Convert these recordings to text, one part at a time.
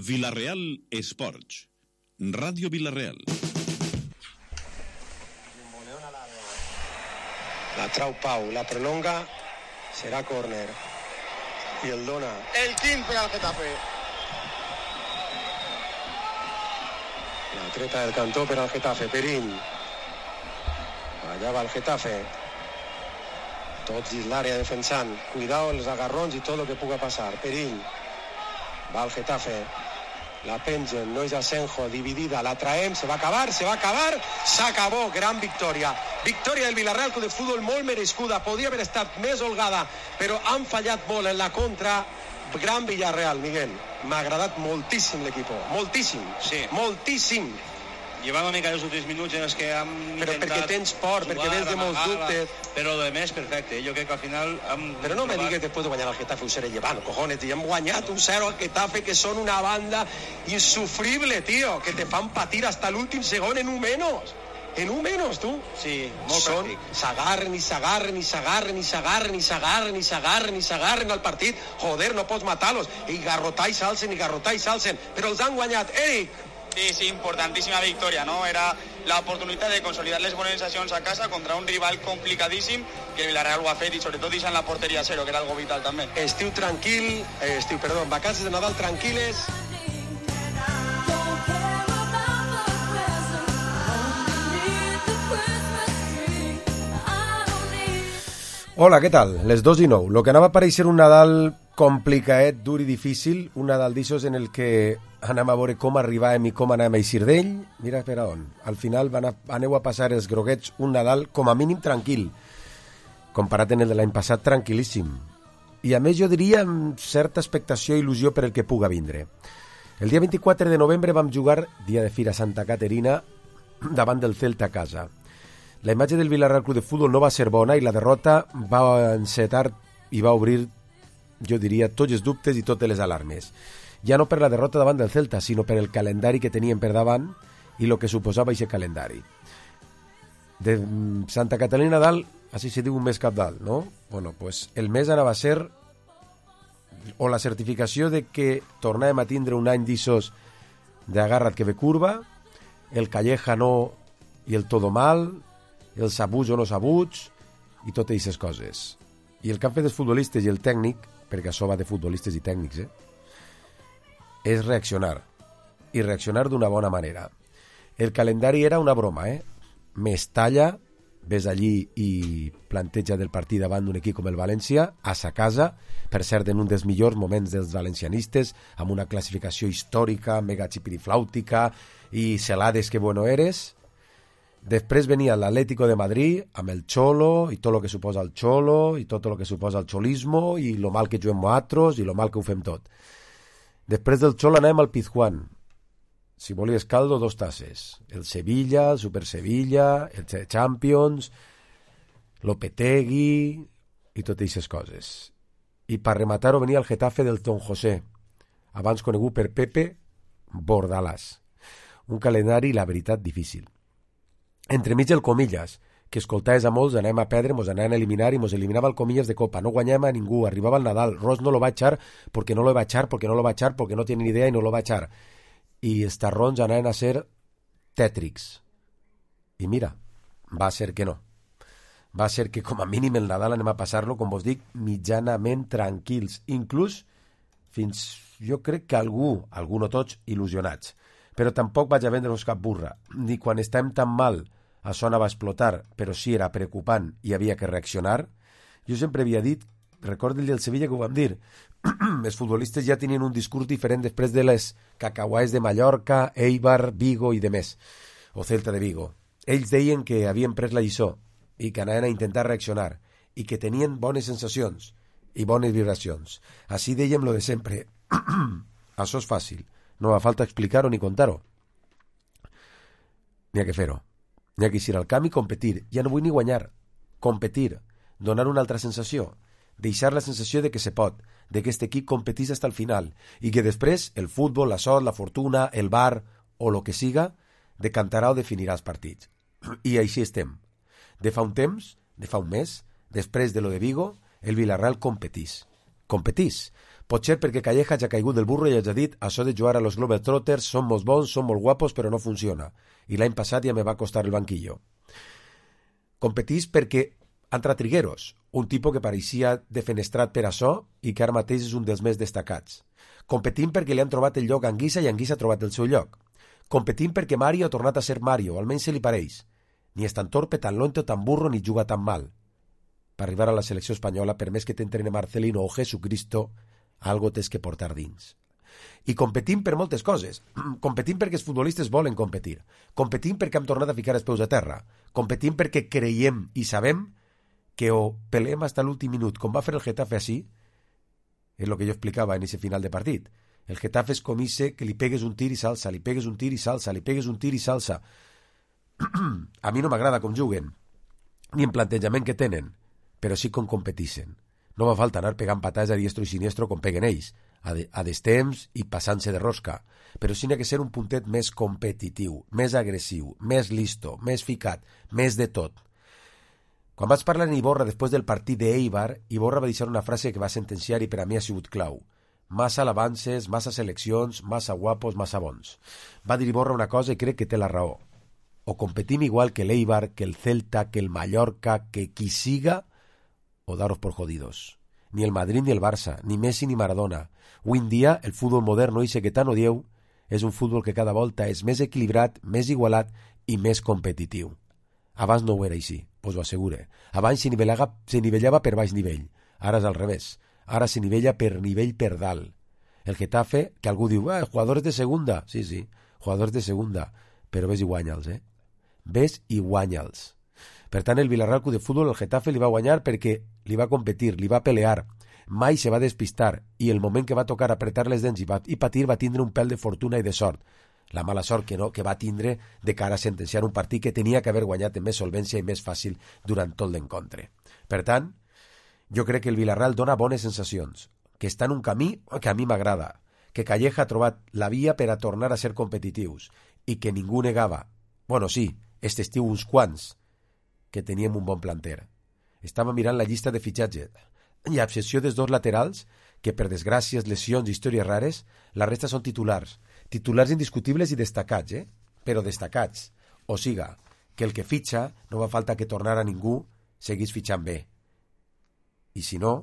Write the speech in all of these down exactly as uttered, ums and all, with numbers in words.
Vila-real Esports. Radio Vila-real. La trau Pau, la prolonga, serà córner. I el dona. El quint per al Getafe. La treta del cantó per al Getafe, Perín. Allà va el Getafe. Tots dins l'àrea defensant. Cuidao els agarrons i tot el que puga passar. Perín. Va el Getafe. La pengen, no és Asenjo, dividida, la traem, se va acabar, se va acabar, s'acabó, gran victòria. Victòria del Villarreal Club de Futbol molt merescuda, podria haver estat més holgada, però han fallat molt en la contra. Gran Villarreal, Miguel. M'ha agradat moltíssim l'equip, moltíssim, sí. moltíssim. Llevava una mica els últims minuts en els que hem però intentat... Però perquè tens por, jugar, perquè vens de molts dubtes. Però de més, perfecte. Jo crec que al final... Hem però no trobat... me digues después de guanyar al Getafe un cero llevant, cojones. I hem guanyat un cero al Getafe, que són una banda insufrible, tío, que te fan patir hasta l'últim segon en un menos. En un menos, tu. Sí, molt Són, pràctic. s'agarren i s'agarren i s'agarren i s'agarren i s'agarren i s'agarren i s'agarren al partit. Joder, no pots matar-los. I garrotar i s'alcen i garrotar i s'alcen. Però els han guanyat. Eric. Sí, sí, importantíssima victòria, no? Era la oportunitat de consolidar les bones sensacions a casa contra un rival complicadíssim, que el Villarreal ho ha fet, i sobretot deixant la porteria a zero, que era algo vital també. Estiu tranquil, eh, estiu, perdó, vacances de Nadal tranquil·les. Hola, què tal? Les dos i nou. Lo que anava a parèixer un Nadal complicaet, dur i difícil, un Nadal d'aixòs en el que anem a veure com arribàvem i com anem a eixir d'ell. Mira per on. Al final van a, aneu a passar els groguets un Nadal com a mínim tranquil, comparat en el de l'any passat, tranquil·líssim. I a més jo diria amb certa expectació i il·lusió per el que puga vindre. El dia vint-i-quatre de novembre vam jugar, dia de Fira Santa Caterina, davant del Celta a casa. La imatge del Villarreal Club de Futbol no va ser bona i la derrota va encetar i va obrir, jo diria, tots els dubtes i totes les alarmes. Ja no per la derrota davant del Celta, sinó per el calendari que tenien per davant i el que suposava aquest calendari. De Santa Catalina a dalt, així se diu un mes cap dalt, no? Bueno, pues el mes anava a ser o la certificació de que tornàvem a tindre un any d'issos d'agarra't que ve curva, el Calleja no i el todo mal, els sabuts o no sabuts i totes aquestes coses. I el que han fet els futbolistes i el tècnic, perquè això va de futbolistes i tècnics, eh, és reaccionar. I reaccionar d'una bona manera. El calendari era una broma, eh? Mestalla, ves allí i planteja del partit davant d'un equip com el València, a sa casa, per cert, en un dels millors moments dels valencianistes, amb una classificació històrica, mega xipiriflàutica i celades que bueno eres. Després venia l'Atlético de Madrid amb el Cholo i tot el que suposa el Cholo i tot el que suposa el cholismo i lo mal que juguem nosaltres i lo mal que ho fem tot. Després del Cholo anem al Pizjuán. Si volies caldo, dos tasses. El Sevilla, el Super Sevilla, el Champions, l'Opetegui i totes aquestes coses. I per rematar-ho venia el Getafe del Don José, abans conegut per Pepe Bordalàs. Un calendari, la veritat, difícil. Entremig el Comillas, que escoltaves a molts, anem a perdre, mos anaven a eliminar i mos eliminava el Comillas de Copa. No guanyem a ningú, arribava el Nadal. Ross no lo va echar porque no lo va a echar, porque no lo va a echar, porque no tiene ni idea y no lo va a echar. I els tarrons anaven a ser tètrics. I mira, va ser que no. Va ser que com a mínim el Nadal anem a passar-lo, com vos dic, mitjanament tranquils. Inclús fins, jo crec que algú, algú no tots, il·lusionats. Però tampoc vaig a vendre-vos cap burra. Ni quan estem tan mal això anava a explotar, però sí era preocupant i havia que reaccionar. Jo sempre havia dit, recordo el del Sevilla que ho vam dir, els futbolistes ja tenien un discurs diferent després de les cacauais de Mallorca, Eibar, Vigo i de més, o Celta de Vigo. Ells deien que havien pres la lliçó i que anaven a intentar reaccionar i que tenien bones sensacions i bones vibracions. Així dèiem lo de sempre. Això és fàcil. No fa falta explicar-ho ni contar-ho. N'hi ha que fer-ho. N'hi ha que ir al camp i competir. Ja no vull ni guanyar. Competir. Donar una altra sensació. Deixar la sensació de que se pot, de que aquest equip competís fins al final i que després el futbol, la sort, la fortuna, el bar o lo que siga decantarà o definirà els partits. I així estem. De fa un temps, de fa un mes, després de lo de Vigo, el Villarreal competís. Competís. Potser perquè Calleja ja ha caigut del burro i ja ha dit això de jugar a los Globetrotters són molt bons, són molt guapos, però no funciona. I l'any passat ja me va costar el banquillo. Competís perquè entra Trigueros, un tipus que pareixia defenestrat per això i que ara mateix és un dels més destacats. Competim perquè li han trobat el lloc a Anguissa i Anguissa ha trobat el seu lloc. Competim perquè Mario ha tornat a ser Mario, almenys se li pareix. Ni és tan torpe, tan lento, tan burro, ni juga tan mal. Per arribar a la selecció espanyola, per més que t'entrene Marcelino o Jesucristo, algo tens que portar dins. I competim per moltes coses. Competim perquè els futbolistes volen competir. Competim perquè hem tornat a ficar els peus a terra. Competim perquè creiem i sabem que o peleem fins a l'últim minut, com va fer el Getafe així, és el que jo explicava en aquest final de partit. El Getafe és com ese que li pegues un tir i salsa, li pegues un tir i salsa, li pegues un tir i salsa. A mi no m'agrada com juguen, ni en plantejament que tenen, però sí com competixen. No va falta anar pegant patades a diestro i siniestro com peguen ells, a, de, a destemps i passant-se de rosca, però sí n'ha que ser un puntet més competitiu, més agressiu, més listo, més ficat, més de tot. Quan vaig parlar en Iborra després del partit d'Eibar, Iborra va deixar una frase que va sentenciar i per a mi ha sigut clau. Massa alabances, massa seleccions, massa guapos, massa bons. Va dir Iborra una cosa i crec que té la raó. O competim igual que l'Eibar, que el Celta, que el Mallorca, que qui siga, o daros por jodidos. Ni el Madrid ni el Barça, ni Messi ni Maradona. Avui en dia, el futbol moderno, ese que tant odieu, és un futbol que cada volta és més equilibrat, més igualat i més competitiu. Abans no ho era així, us ho assegure. Abans se nivellava, se nivellava per baix nivell. Ara és al revés. Ara se nivella per nivell per dalt. El Getafe, que algú diu, ah, jugadors de segunda. Sí, sí, jugadors de segunda. Però ves i guanya'ls, eh? Ves i guanya'ls. Per tant, el Villarreal Club de Futbol, el Getafe, li va guanyar perquè li va competir, li va pelear, mai se va despistar i el moment que va tocar apretar les dents i, va, i patir va tindre un pèl de fortuna i de sort. La mala sort que no, que va tindre de cara a sentenciar un partit que tenia que haver guanyat amb més solvència i més fàcil durant tot l'encontre. Per tant, jo crec que el Villarreal dona bones sensacions, que està en un camí que a mi m'agrada, que Calleja ha trobat la via per a tornar a ser competitius i que ningú negava, bueno sí, este estiu uns quants, que teníem un bon planter. Estava mirant la llista de fitxatge i a excepció dels dos laterals, que per desgràcies, lesions i històries rares, la resta són titulars. Titulars indiscutibles i destacats, eh? Però destacats. O siga, que el que fitxa no va falta que tornara ningú, seguís fitxant bé. I si no,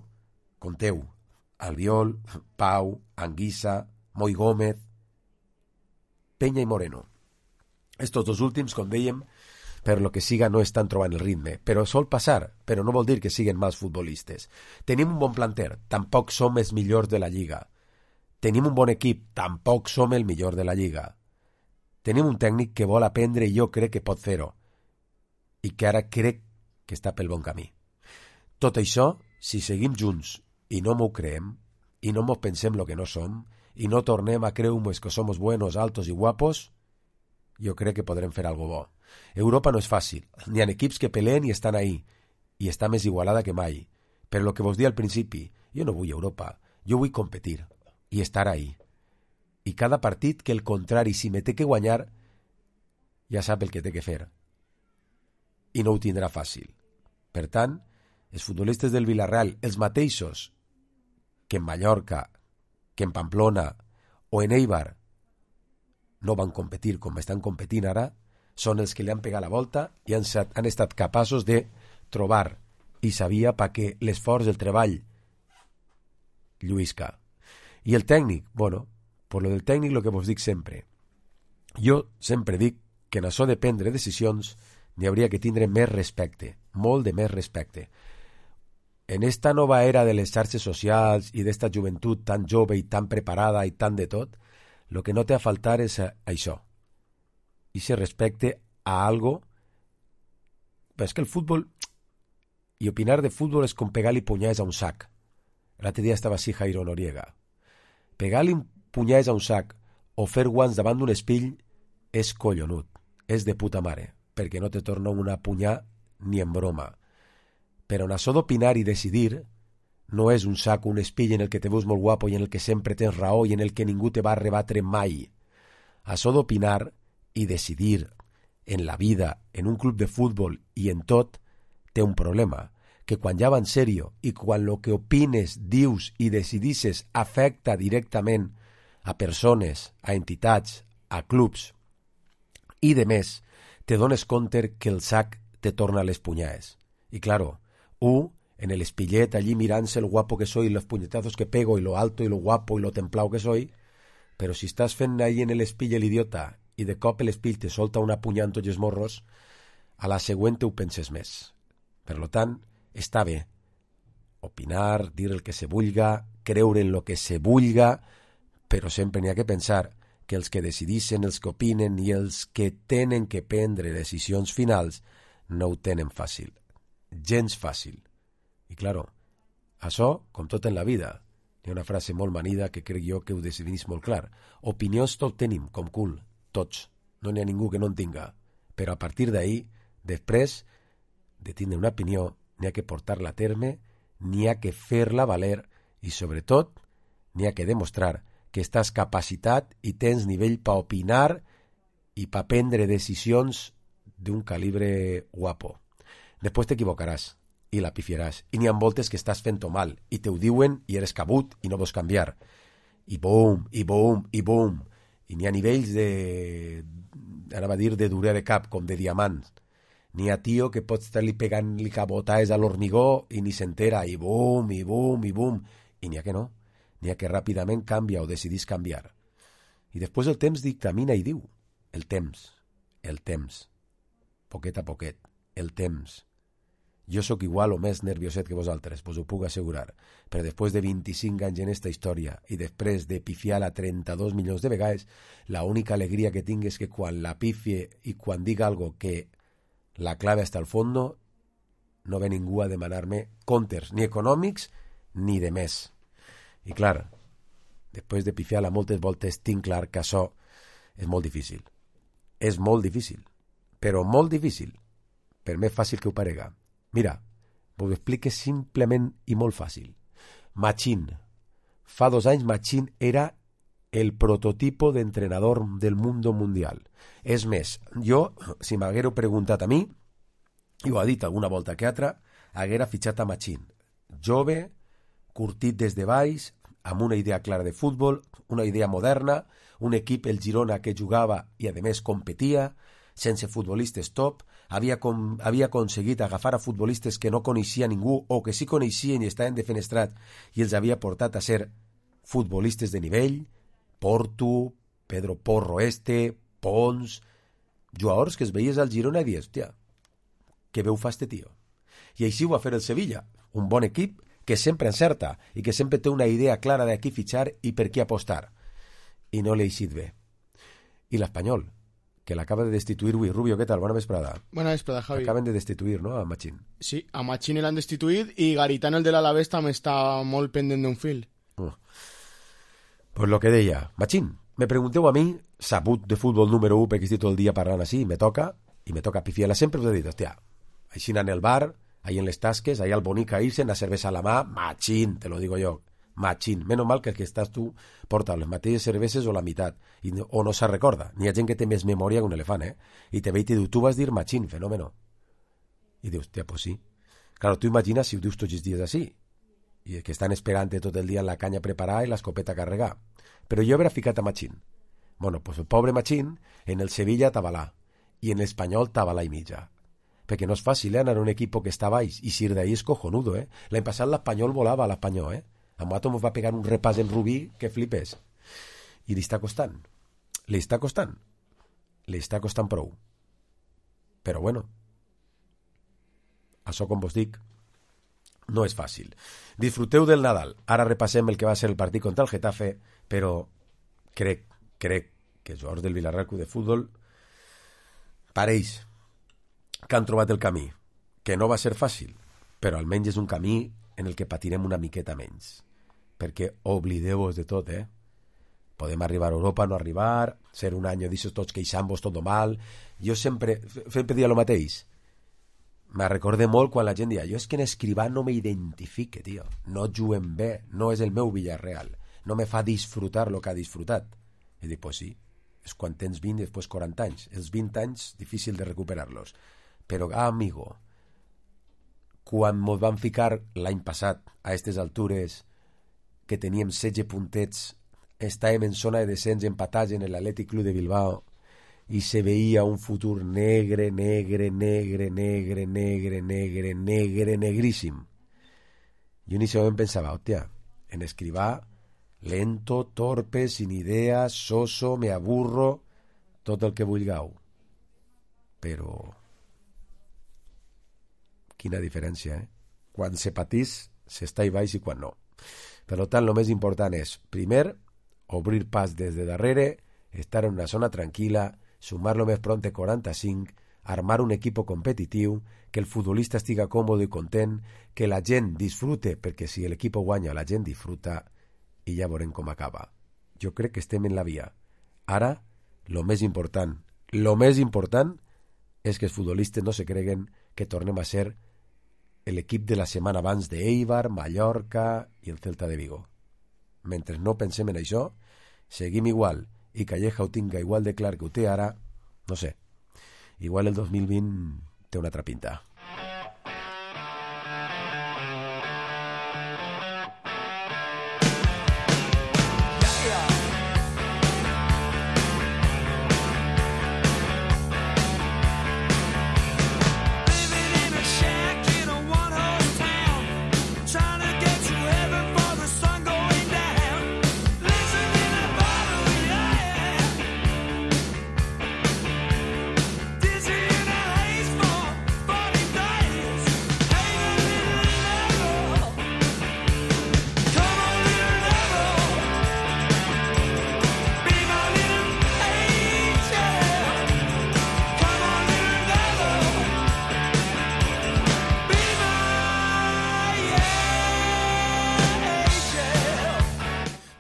conteu, Albiol, Pau, Anguissa, Moi Gómez, Peña i Moreno. Estos dos últims, com dèiem, per lo que siga no estan trobant el ritme, però sol passar, però no vol dir que siguen mals futbolistes. Tenim un bon planter, tampoc som els millors de la Lliga. Tenim un bon equip, tampoc som el millor de la Lliga. Tenim un tècnic que vol aprendre i jo crec que pot fer-ho, i que ara crec que està pel bon camí. Tot això, si seguim junts i no m'ho creem, i no mos pensem lo que no som, i no tornem a creure que somos buenos, altos i guapos, jo crec que podrem fer algo bo. Europa no és fàcil, n'hi ha equips que peleen i estan ahí, i està més igualada que mai. Però el que vos dia al principi, jo no vull Europa, jo vull competir i estar ahí. I cada partit que el contrari, si me té que guanyar, ja sap el que té que fer. I no ho tindrà fàcil. Per tant, els futbolistes del Villarreal, els mateixos que en Mallorca, que en Pamplona o en Eibar, no van competir com estan competint ara, són els que li han pegat la volta i han, han estat capaços de trobar i sabia perquè l'esforç del treball lluïsca. I el tècnic, bueno, per lo del tècnic el que vos dic sempre. Jo sempre dic que en això de prendre decisions n'hi hauria que tindre més respecte, molt de més respecte. En esta nova era de les xarxes socials i d'esta joventut tan jove i tan preparada i tan de tot, el que no té a faltar és això. I se respecte a algo. Però és que el futbol, i opinar de futbol és com pegar-li punyades a un sac. L'altre dia estava així Jairo Noriega. Pegar-li punyades a un sac o fer guants davant d'un espill és collonut, és de puta mare, perquè no te torna una punyà ni en broma. Però en això d'opinar i decidir no és un sac o un espill en el que te veus molt guapo i en el que sempre tens raó i en el que ningú te va arrebatre mai. Això d'opinar i decidir en la vida, en un club de futbol i en tot, té un problema, que quan ja va en sèrio i quan el que opines, dius i decidisses afecta directament a persones, a entitats, a clubs i de més, te dones compte que el sac te torna les punyades. I claro, u, en el espillet allí mirant-se el guapo que soy, los puñetazos que pego y lo alto y lo guapo y lo templado que soy, però si estàs fent ahí en el espill l'idiota i de cop l'espill te solta una punyada en tots els morros, a la següent ho penses més. Per lo tant, està bé opinar, dir el que se vulga, creure en lo que se vulga, però sempre n'hi ha que pensar que els que decidissin, els que opinen i els que tenen que prendre decisions finals no ho tenen fàcil. Gens fàcil. I, claro, això, com tot en la vida, hi ha una frase molt manida que crec jo que ho decidís molt clar. Opinions tot tenim, com cul, tots. No n'hi ha ningú que no en tinga. Però a partir d'ahí, després de tindre una opinió, n'hi ha que portar-la a terme, n'hi ha que fer-la valer i, sobretot, n'hi ha que demostrar que estàs capacitat i tens nivell per opinar i per prendre decisions d'un calibre guapo. Després t'equivocaràs i la pifiaràs. I n'hi ha voltes que estàs fent-ho mal i te ho diuen i eres cabut i no vols canviar. I boom, i boom, i boom. I n'hi ha nivells de... anava a dir de durer de cap, com de diamants. N'hi ha tio que pots estar-li pegant-li cabotades a l'hormigó i ni s'entera. I boom, i boom, i boom. I n'hi ha que no. N'hi ha que ràpidament canvia o decidís canviar. I després el temps dictamina i diu. El temps, el temps. Poquet a poquet, el temps. Jo sóc igual o més nervioset que vosaltres, vos ho puc assegurar, però després de vint-i-cinc anys en esta història i després de pifiar-la trenta-dos milions de vegades, la única alegria que tinc és que quan la pifie i quan diga algo que la clave hasta el fondo, no ve ningú a demanar-me comptes, ni econòmics ni de més. I clar, després de pifiar-la moltes voltes, tinc clar que això és molt difícil. És molt difícil, però molt difícil. Per més fàcil que ho parega. Mira, vos ho explique simplement i molt fàcil. Machín. Fa dos anys Machín era el prototipo d'entrenador del mundo mundial. És més, jo, si m'haguero preguntat a mi, i ho ha dit alguna volta que altra, haguera fitxat a Machín. Jove, curtit des de baix, amb una idea clara de futbol, una idea moderna, un equip, el Girona, que jugava i a més competia, sense futbolistes top, havia, com, havia aconseguit agafar a futbolistes que no coneixia ningú o que sí coneixien i estaven defenestrats i els havia portat a ser futbolistes de nivell, Porto, Pedro Porro este, Pons, jugadors que es veies al Girona i dius, hòstia, què veu fa este tio? I així ho va fer el Sevilla, un bon equip que sempre encerta i que sempre té una idea clara de qui fitxar i per qui apostar. I no l'ha eixit bé. I l'Espanyol, que l'acaba de destituir avui. Rubio, què tal? Bona vesprada. Bona vesprada, Javi. Acaben de destituir, no?, a Machín. Sí, a Machín l'han destituït i Garitano, el de l'Alavés, també està molt pendent d'un fil. Uh. Pues lo que deia. Machín, me pregunteu a mi, sabut de futbol número u, perquè estic tot el dia parlant així, me toca, i me toca pifiar-la sempre, us he dit, hòstia, així en el bar, ahí en les tasques, ahí al bonica irse, una cervesa a la mà, Machín, te lo digo yo, Machín. Menos mal que el que estàs tu porta les mateixes cerveses o la meitat, i no, o no se recorda. N'hi ha gent que té més memòria que un elefant, eh? I te ve i te diu, tu vas dir Machín, fenómeno. I dius, hòstia, pues sí. Claro, tu imagines si ho dius tots els dies així, i que estan esperant tot el dia en la canya preparada i l'escopeta a carregar. Però jo haurà ficat a Machín. Bueno, pues el pobre Machín, en el Sevilla tabalà, i en l'Espanyol tabalà i mitja. Perquè no és fàcil, eh, anar a un equip que està baix, i si d'ahí és cojonudo, eh? L'any passat l'Espanyol volava a l'Espanyol, eh? A Mato ens va pegar un repàs en Rubí que flipes. I li està costant. Li està costant. Li està costant prou. Però bueno, això, com vos dic, no és fàcil. Disfruteu del Nadal. Ara repassem el que va ser el partit contra el Getafe, però crec, crec que els jugadors del Villarreal Club de Futbol pareix que han trobat el camí, que no va ser fàcil, però almenys és un camí en el que patirem una miqueta menys. Perquè oblideu-vos de tot, eh? Podem arribar a Europa, no arribar, ser un any, dius tots queixant-vos tot mal. Jo sempre, sempre dia el mateix. Me recordé molt quan la gent dia, jo és que en Escrivà no m'identifique, tio. No juguen bé, no és el meu Villarreal. No me fa disfrutar el que ha disfrutat. I dic, pues sí, és quan tens vint i després quaranta anys. Els vint anys, difícil de recuperar-los. Però, ah, amigo, quan mos van ficar l'any passat a aquestes altures que teníem setze puntets, estàvem en zona de descens empatats en l'Atlètic Club de Bilbao i se veia un futur negre, negre, negre, negre, negre, negre, negre, negríssim. Jo en aquest moment pensava, hòstia, en Escrivà, lento, torpe, sin idea, soso, me aburro, tot el que vulgueu. Però quina diferència, eh? Quan se patís, s'està i baix i quan no. Per tant, el més important és, primer, obrir pas des de darrere, estar en una zona tranquil·la, sumar lo més pront quaranta-cinc, armar un equip competitiu, que el futbolista estiga còmode i content, que la gent disfrute, perquè si l'equip guanya la gent disfruta, i ja veurem com acaba. Jo crec que estem en la via. Ara, lo més important, lo més important és que els futbolistes no se creguen que tornem a ser l'equip de la setmana abans d'Eibar, Mallorca i el Celta de Vigo. Mentre no pensem en això, seguim igual i Calleja ho tinga igual de clar que ho té ara, no sé, igual el dos mil vint té una altra pinta.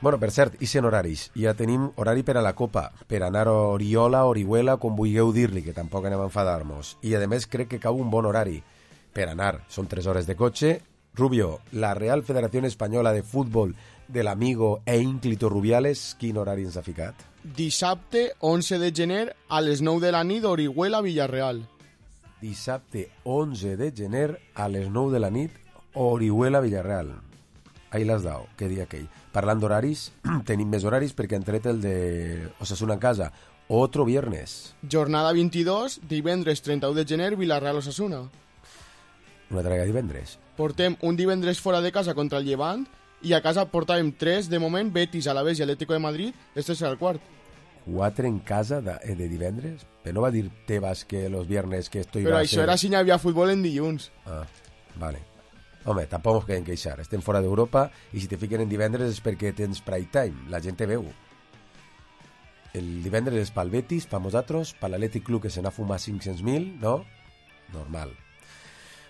Bueno, per cert, i en horaris. Ja tenim horari per a la Copa, per anar a Oriola, Orihuela, com vulgueu dir-li, que tampoc anem a enfadar-nos. I, a més, crec que cau un bon horari per anar. Són tres hores de cotxe. Rubio, la Real Federación Española de Fútbol de l'Amigo e Ínclito Rubiales, quin horari ens ha ficat? Dissabte, onze de gener, a les nou de la nit, Orihuela, Villarreal. Dissabte, onze de gener, a les nou de la nit, Orihuela, Villarreal. Ahí l'has dado, què dia aquell. Parlant d'horaris, tenim més horaris perquè han tret el de Osasuna en casa. Otro viernes. Jornada vint-i-dos, divendres trenta-u de gener, Villarreal Osasuna. Una altra divendres. Portem un divendres fora de casa contra el Llevant i a casa portàvem tres, de moment, Betis, Alavés i Atlético de Madrid. Este serà el quart. Quatre en casa de, de divendres? Però no va dir Tebas que los viernes que estoy... Però això ser... era si n'hi havia futbol en dilluns. Ah, vale. Home, tampoc ens queden queixar. Estem fora d'Europa i si te fiquen en divendres és perquè tens prime time. La gent te veu. El divendres és pel Betis, per nosaltres, per l'Atlètic Club que se n'ha fumat cinc-cents mil, no? Normal.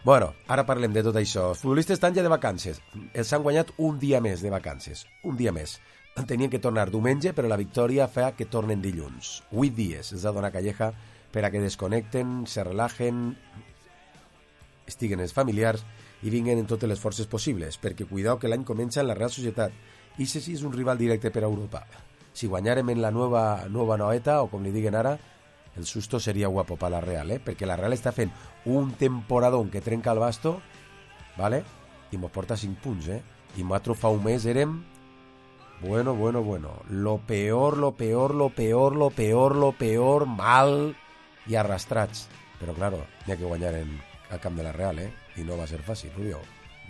Bueno, ara parlem de tot això. Els futbolistes estan ja de vacances. Els han guanyat un dia més de vacances. Un dia més. Tenien que tornar diumenge, però la victòria fa que tornen dilluns. Vuit dies els ha donat Calleja per a que desconnecten, se relajen, estiguen els familiars i vinguen en totes les forces possibles, perquè cuidao que l'any comença en la Real Societat i si sí és un rival directe per a Europa. Si guanyarem en la nova, nova noeta, o com li diguen ara, el susto seria guapo per la Real, eh? Perquè la Real està fent un temporadón que trenca el basto, ¿vale? I mos porta cinc punts, eh? I nosaltres fa un mes érem, bueno, bueno, bueno, lo peor, lo peor, lo peor, lo peor, lo peor, mal i arrastrats. Però, claro, n'hi ha que guanyar en, al camp de la Real, eh? I no va ser fàcil, Rubio.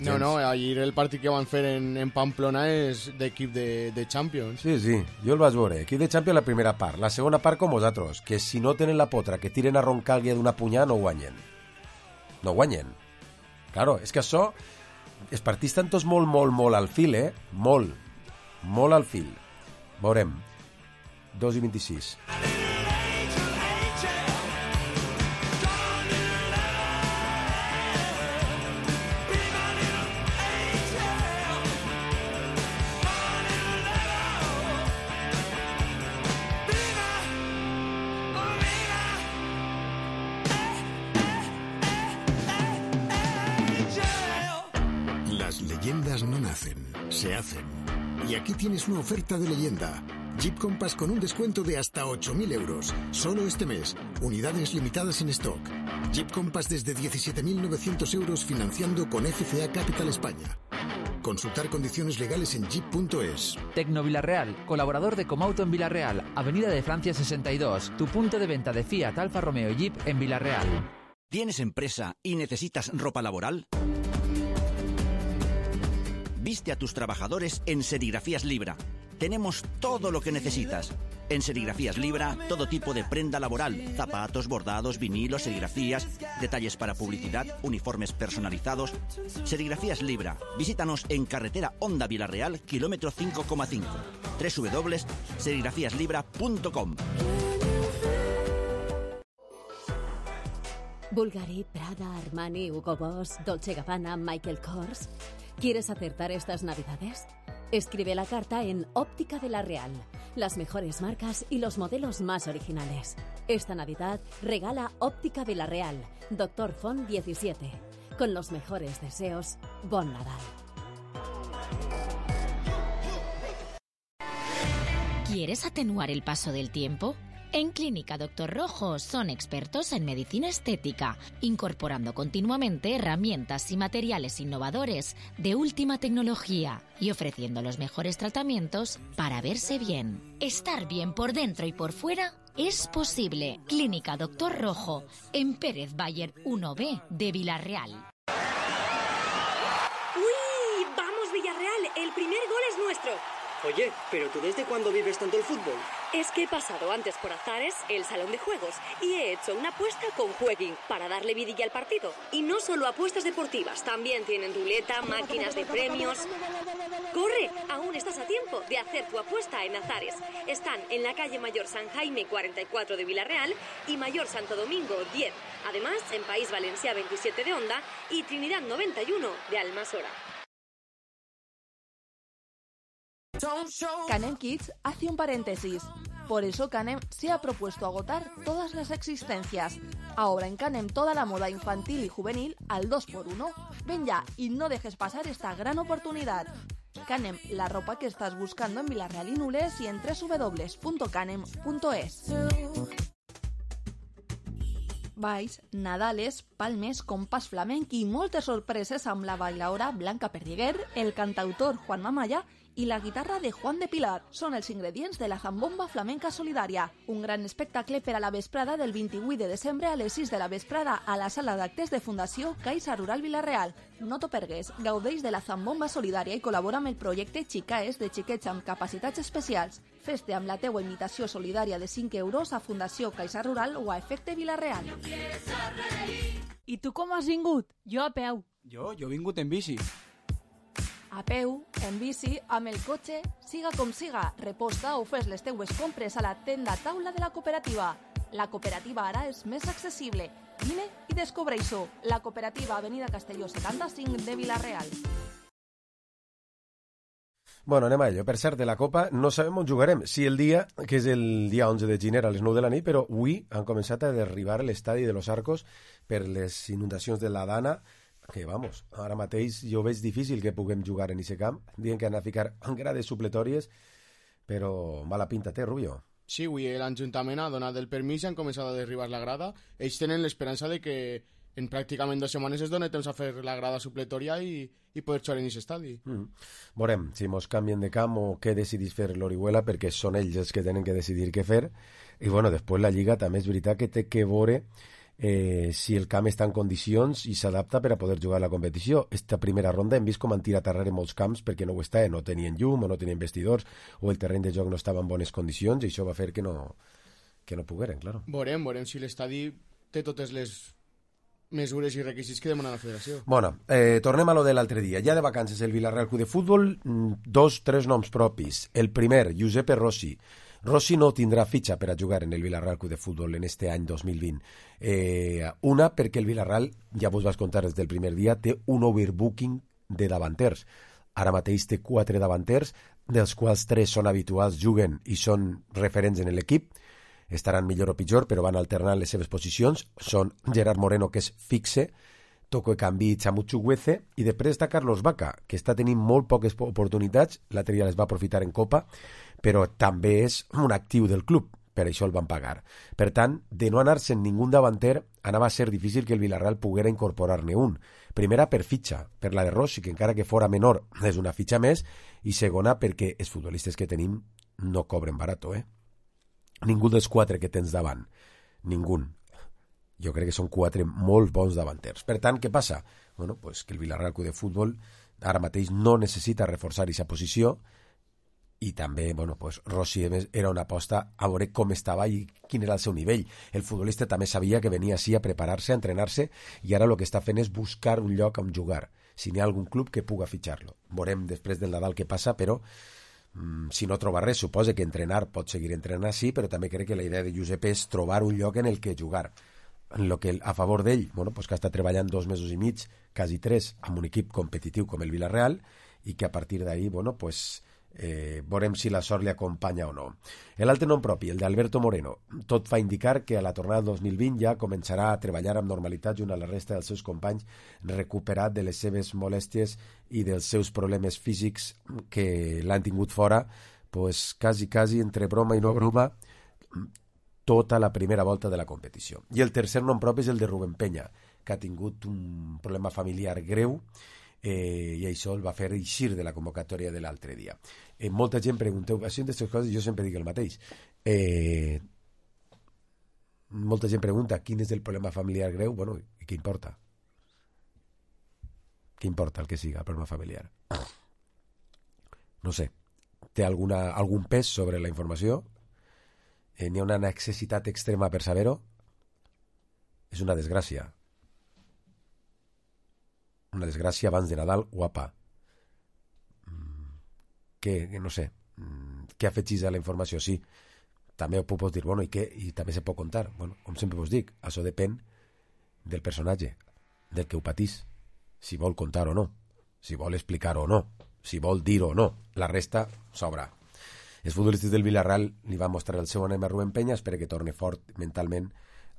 No, no, ahir el partit que van fer en, en Pamplona és d'equip de, de Champions. Sí, sí, jo el vaig veure. Equip de Champions la primera part. La segona part com vosaltres, que si no tenen la potra, que tiren a Roncaglia d'una punyada, no guanyen. No guanyen. Claro, és que això... Els partits estan tots molt, molt, molt al fil, eh? Molt. Molt al fil. Veurem. dos i vint-i-sis. Leyendas no nacen, se hacen. Y aquí tienes una oferta de leyenda. Jeep Compass con un descuento de hasta ocho mil euros. Solo este mes. Unidades limitadas en stock. Jeep Compass desde diecisiete mil novecientos euros financiando con F C A Capital España. Consultar condiciones legales en jeep punto es. Tecno Villarreal, colaborador de Comauto en Villarreal, Avenida de Francia sesenta y dos, tu punto de venta de Fiat, Alfa Romeo y Jeep en Villarreal. ¿Tienes empresa y necesitas ropa laboral? Viste a tus trabajadores en Serigrafías Libra. Tenemos todo lo que necesitas. En Serigrafías Libra, todo tipo de prenda laboral, zapatos, bordados, vinilos, serigrafías, detalles para publicidad, uniformes personalizados. Serigrafías Libra. Visítanos en carretera Honda Villarreal, kilómetro cinco coma cinco. doble u doble u doble u punto serigrafías libra punto com. Bulgari, Prada, Armani, Hugo Boss, Dolce Gabbana, Michael Kors. ¿Quieres acertar estas navidades? Escribe la carta en Óptica de la Real. Las mejores marcas y los modelos más originales. Esta Navidad regala Óptica de la Real, Doctor Font diecisiete. Con los mejores deseos, Bon Nadal. ¿Quieres atenuar el paso del tiempo? En Clínica Doctor Rojo son expertos en medicina estética, incorporando continuamente herramientas y materiales innovadores de última tecnología y ofreciendo los mejores tratamientos para verse bien. Estar bien por dentro y por fuera es posible. Clínica Doctor Rojo, en Pérez Bayer uno B de Villarreal. ¡Uy! ¡Vamos, Villarreal! El primer gol es nuestro. Oye, ¿pero tú desde cuándo vives tanto el fútbol? Es que he pasado antes por Azares, el salón de juegos, y he hecho una apuesta con Jueguin para darle vidilla al partido. Y no solo apuestas deportivas, también tienen ruleta, máquinas de premios. ¡Corre! Aún estás a tiempo de hacer tu apuesta en Azares. Están en la calle Mayor San Jaime cuarenta y cuatro de Villarreal y Mayor Santo Domingo diez. Además, en País Valencià veintisiete de Onda y Trinidad noventa y uno de Almasora. Canem Kids hace un paréntesis. Por eso Canem se ha propuesto agotar todas las existencias. Ahora en Canem toda la moda infantil y juvenil al dos por uno. Ven ya y no dejes pasar esta gran oportunidad. Canem, la ropa que estás buscando en Villarreal y Nules y en doble u doble u doble u punto canem punto es. Balls, Nadales, Palmes, compàs flamenc i moltes sorpreses amb la bailaora Blanca Perdiguer, el cantautor Juan Mamaya i la guitarra de Juan de Pilar. Són els ingredients de la Zambomba Flamenca Solidària, un gran espectacle per a la vesprada del vint-i-vuit de desembre a les sis de la vesprada a la sala d'actes de Fundació Caixa Rural Villarreal. No t'ho pergues, gaudeix de la Zambomba Solidària i col·labora amb el projecte Xicaes de xiquets amb capacitats especials. Fes-te amb la teua invitació solidària de cinc euros a Fundació Caixa Rural o a Efecte Villarreal. I tu com has vingut? Jo a peu. Jo, jo he vingut en bici. A peu, en bici, amb el cotxe, siga com siga, reposta o fes les teues compres a la tenda taula de la cooperativa. La cooperativa ara és més accessible. Vine i descobreix-ho. La cooperativa Avenida Castelló setanta-cinc de Villarreal. Bueno, anem a ello. Per cert, de la Copa no sabem on jugarem. Sí, el dia, que és el dia onze de gener a les nou de la nit, però avui han començat a derribar l'estadi de Los Arcos per les inundacions de la Dana, que, vamos, ara mateix jo veig difícil que puguem jugar en aquest camp. Diuen que han de ficar grades supletòries, però mala pinta té, Rubio. Sí, avui l'Ajuntament ha donat el permís i han començat a derribar la grada. Ells tenen l'esperança de que en pràcticament dues setmanes es dona temps a fer la grada supletòria i, i poder jugar en aquest estadi. Mm. Veurem si mos canvien de camp o què decidís fer l'Orihuela, perquè són ells els que tenen que decidir què fer. I bueno, després la Lliga també és veritat que té que veure eh, si el camp està en condicions i s'adapta per a poder jugar a la competició. Esta primera ronda hem vist com han tirat arrere molts camps perquè no ho està, no tenien llum o no tenien vestidors o el terreny de joc no estava en bones condicions i això va fer que no, que no pogueren, claro. Veurem, veurem si l'estadi té totes les mesures i requisits que demana la federació. Bueno, eh, tornem a lo de l'altre dia. Ja de vacances el Villarreal Club de Futbol, dos, tres noms propis. El primer, Giuseppe Rossi. Rossi no tindrà fitxa per a jugar en el Villarreal Club de Futbol en este any dos mil vint. Eh, una, perquè el Villarreal, ja vos vas contar des del primer dia, té un overbooking de davanters. Ara mateix té quatre davanters, dels quals tres són habituals, juguen i són referents en l'equip. Estaran millor o pitjor, però van alternant les seves posicions. Són Gerard Moreno, que és fixe, Toko Ekambi i Chamu Chukwueze, i després està Carlos Vaca, que està tenint molt poques oportunitats, l'altre dia les va aprofitar en Copa, però també és un actiu del club, per això el van pagar. Per tant, de no anar-se'n ningú davanter, anava a ser difícil que el Villarreal poguera incorporar-ne un. Primera, per fitxa, per la de Rossi, que encara que fora menor és una fitxa més, i segona, perquè els futbolistes que tenim no cobren barato, eh? Ningú dels quatre que tens davant. Ningú. Jo crec que són quatre molt bons davanters. Per tant, què passa? Bueno, pues que el Villarreal Club de Futbol ara mateix no necessita reforçar aquesta posició, i també, bueno, pues Rossi era una aposta a veure com estava i quin era el seu nivell. El futbolista també sabia que venia així a preparar-se, a entrenar-se, i ara el que està fent és buscar un lloc on jugar, si n'hi ha algun club que puga fitxar-lo. Veurem després del Nadal què passa, però mm, si no troba res, suposa que entrenar pot seguir entrenant, sí, però també crec que la idea de Josep és trobar un lloc en el que jugar. En lo que a favor d'ell, bueno, pues que està treballant dos mesos i mig, quasi tres, amb un equip competitiu com el Villarreal, i que a partir d'ahí, bueno, pues eh, veurem si la sort li acompanya o no. L'altre nom propi, el d'Alberto Moreno, tot fa indicar que a la tornada del dos mil vint ja començarà a treballar amb normalitat junt a la resta dels seus companys, recuperat de les seves molèsties i dels seus problemes físics que l'han tingut fora, pues quasi, quasi, entre broma i no broma, tota la primera volta de la competició. I el tercer nom propi és el de Rubén Peña, que ha tingut un problema familiar greu, eh, i això el va fer eixir de la convocatòria de l'altre dia. Eh, molta gent pregunteu, això d'aquestes coses jo sempre dic el mateix. Eh, molta gent pregunta quin és el problema familiar greu, bueno, i què importa? Què importa el que siga, el problema familiar? No sé, té alguna, algun pes sobre la informació? Eh, n'hi ha una necessitat extrema per saber-ho? És una desgràcia. Una desgràcia abans de Nadal, guapa. Mm, què, no sé, mm, què afegís a la informació? Sí, també ho puc dir, bueno, i què? I també se pot contar. Bueno, com sempre us dic, això depèn del personatge, del que ho patís, si vol contar o no, si vol explicar o no, si vol dir o no. La resta s'obrà. Els futbolistes del Villarreal li van mostrar el seu ànim a Rubén Peña, espera que torni fort mentalment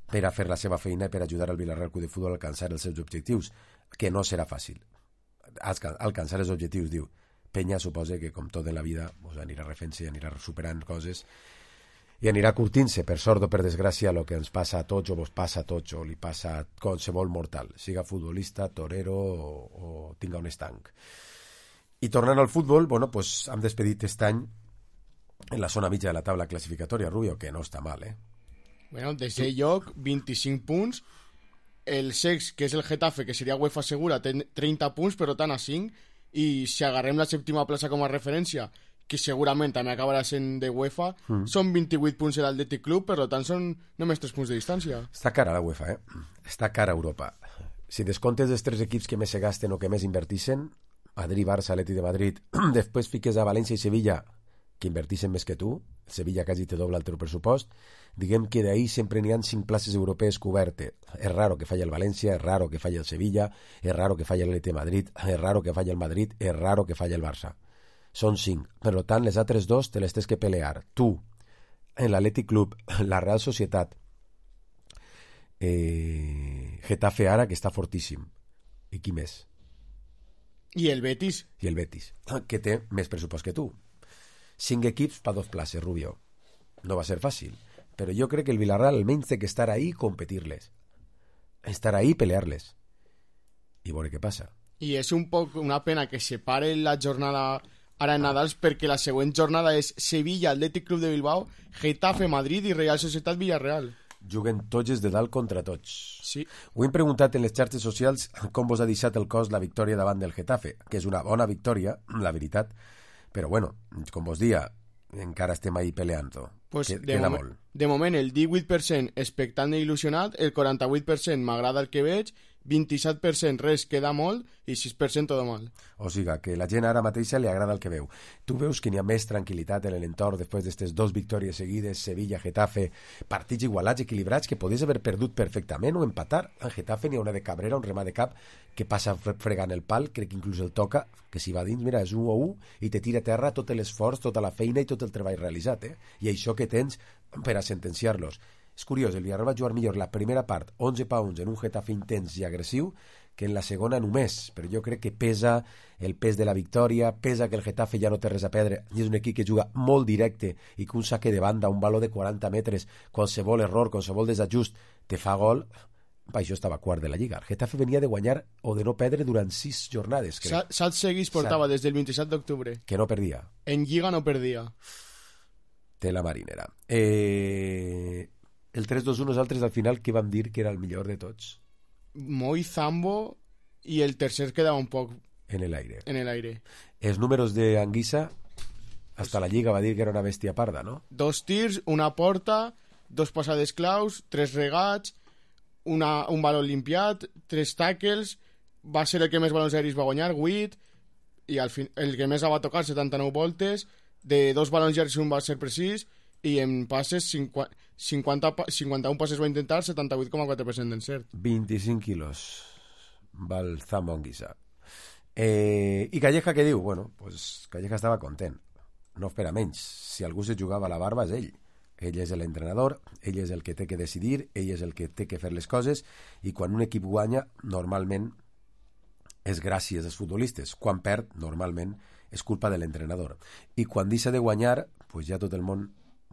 per a fer la seva feina i per ajudar al Villarreal Club de Futbol a alcançar els seus objectius, que no serà fàcil. Alcançar els objectius, diu. Peña suposa que, com tot en la vida, pues, anirà refent-se, anirà superant coses i anirà curtint-se, per sort o per desgràcia, el que ens passa a tots o vos passa a tots o li passa a qualsevol mortal, siga futbolista, torero o, o tinga un estanc. I tornant al futbol, bueno, pues, hem despedit aquest any en la zona mitja de la taula classificatòria, Rubio, que no està mal, eh? Bueno, desè lloc, vint-i-cinc punts. El sex, que és el Getafe, que seria UEFA segura, té trenta punts, però tant a cinc. I si agarrem la sèptima plaça com a referència, que segurament també acabarà sent de UEFA, mm. són vint-i-vuit punts l'Atlètic Club, per tant són només tres punts de distància. Està cara la UEFA, eh? Està cara Europa. Si descomptes els tres equips que més se gasten o que més invertixen, Madrid, Barça, Atlètic de Madrid, després fiques a València i Sevilla, que invertixen més que tu, Sevilla quasi te dobla el teu pressupost, diguem que d'ahí sempre n'hi ha cinc places europees cobertes. És raro que falli el València, és raro que falli el Sevilla, és raro que falli l'Atlètic de Madrid, és raro que falli el Madrid, és raro que falli el Barça. Són cinc. Per tant, les altres dos te les tens que pelear. Tu, en l'Atlètic Club, la Real Societat, eh, Getafe ara, que està fortíssim. I qui més? I el Betis. I el Betis, que té més pressupost que tu. Cinc equips per dos places, Rubio. No va ser fàcil, però jo crec que el Villarreal almenys té que estar ahí i competir-les. Estar ahí i pelear-les. I veure què passa. I és un poc una pena que se pare la jornada ara en Nadals, perquè la següent jornada és Sevilla, Atlètic Club de Bilbao, Getafe, Madrid i Real Societat Villarreal. Juguen tots els de dalt contra tots. Sí. Ho hem preguntat en les xarxes socials com vos ha deixat el cos la victòria davant del Getafe, que és una bona victòria, la veritat, però bueno, com vos dia, encara estem ahí peleant-ho. Pues que, de, moment, de moment el divuit per cent expectant i il·lusionat, el quaranta-vuit per cent m'agrada el que veig, vint-i-set per cent res queda molt i sis per cent tot mal. O sigui, que la gent ara mateixa li agrada el que veu. Tu veus que n'hi ha més tranquil·litat en l'entorn després d'aquestes dos victòries seguides, Sevilla, Getafe, partits igualats, equilibrats, que podies haver perdut perfectament o empatar. En Getafe n'hi ha una de Cabrera, un remà de cap, que passa fregant el pal, crec que inclús el toca, que si va dins, mira, és un a un, i te tira a terra tot l'esforç, tota la feina i tot el treball realitzat, eh? I això que tens per a sentenciar-los. És curiós, el Villarreal va jugar millor la primera part, onze punts en un Getafe intens i agressiu, que en la segona només, però jo crec que pesa el pes de la victòria, pesa que el Getafe ja no té res a perdre, i és un equip que juga molt directe i que un saque de banda, un baló de quaranta metres, qualsevol error, qualsevol desajust te fa gol. Va, això estava quart de la Lliga. El Getafe venia de guanyar o de no perdre durant sis jornades, crec. Set seguits portava des del vint-i-set d'octubre. Que no perdia. En Lliga no perdia. Té la marinera. Eh... El tres dos u nosaltres al final què vam dir que era el millor de tots? Moi, Zambo i el tercer quedava un poc en el aire. En el aire. Els números de Anguissa, hasta la Lliga va dir que era una bèstia parda, no? Dos tirs, una porta, dos passades claus, tres regats, una, un baló limpiat, tres tackles, va ser el que més balons aeris va guanyar, vuit, i al fin, el que més va tocar, setanta-nou voltes, de dos balons llargs un va ser precís, i en passes cinquanta, cinquanta, cinquanta-un passes va intentar, setanta-vuit coma quatre per cent d'encert. vint-i-cinc quilos va el Zambo Anguissa. Eh, I Calleja què diu? Bueno, pues Calleja estava content, no espera menys. Si algú se jugava la barba és ell. Ell és l'entrenador, ell és el que té que decidir, ell és el que té que fer les coses, i quan un equip guanya, normalment és gràcies als futbolistes. Quan perd, normalment és culpa de l'entrenador. I quan deixa de guanyar, pues ja tot el món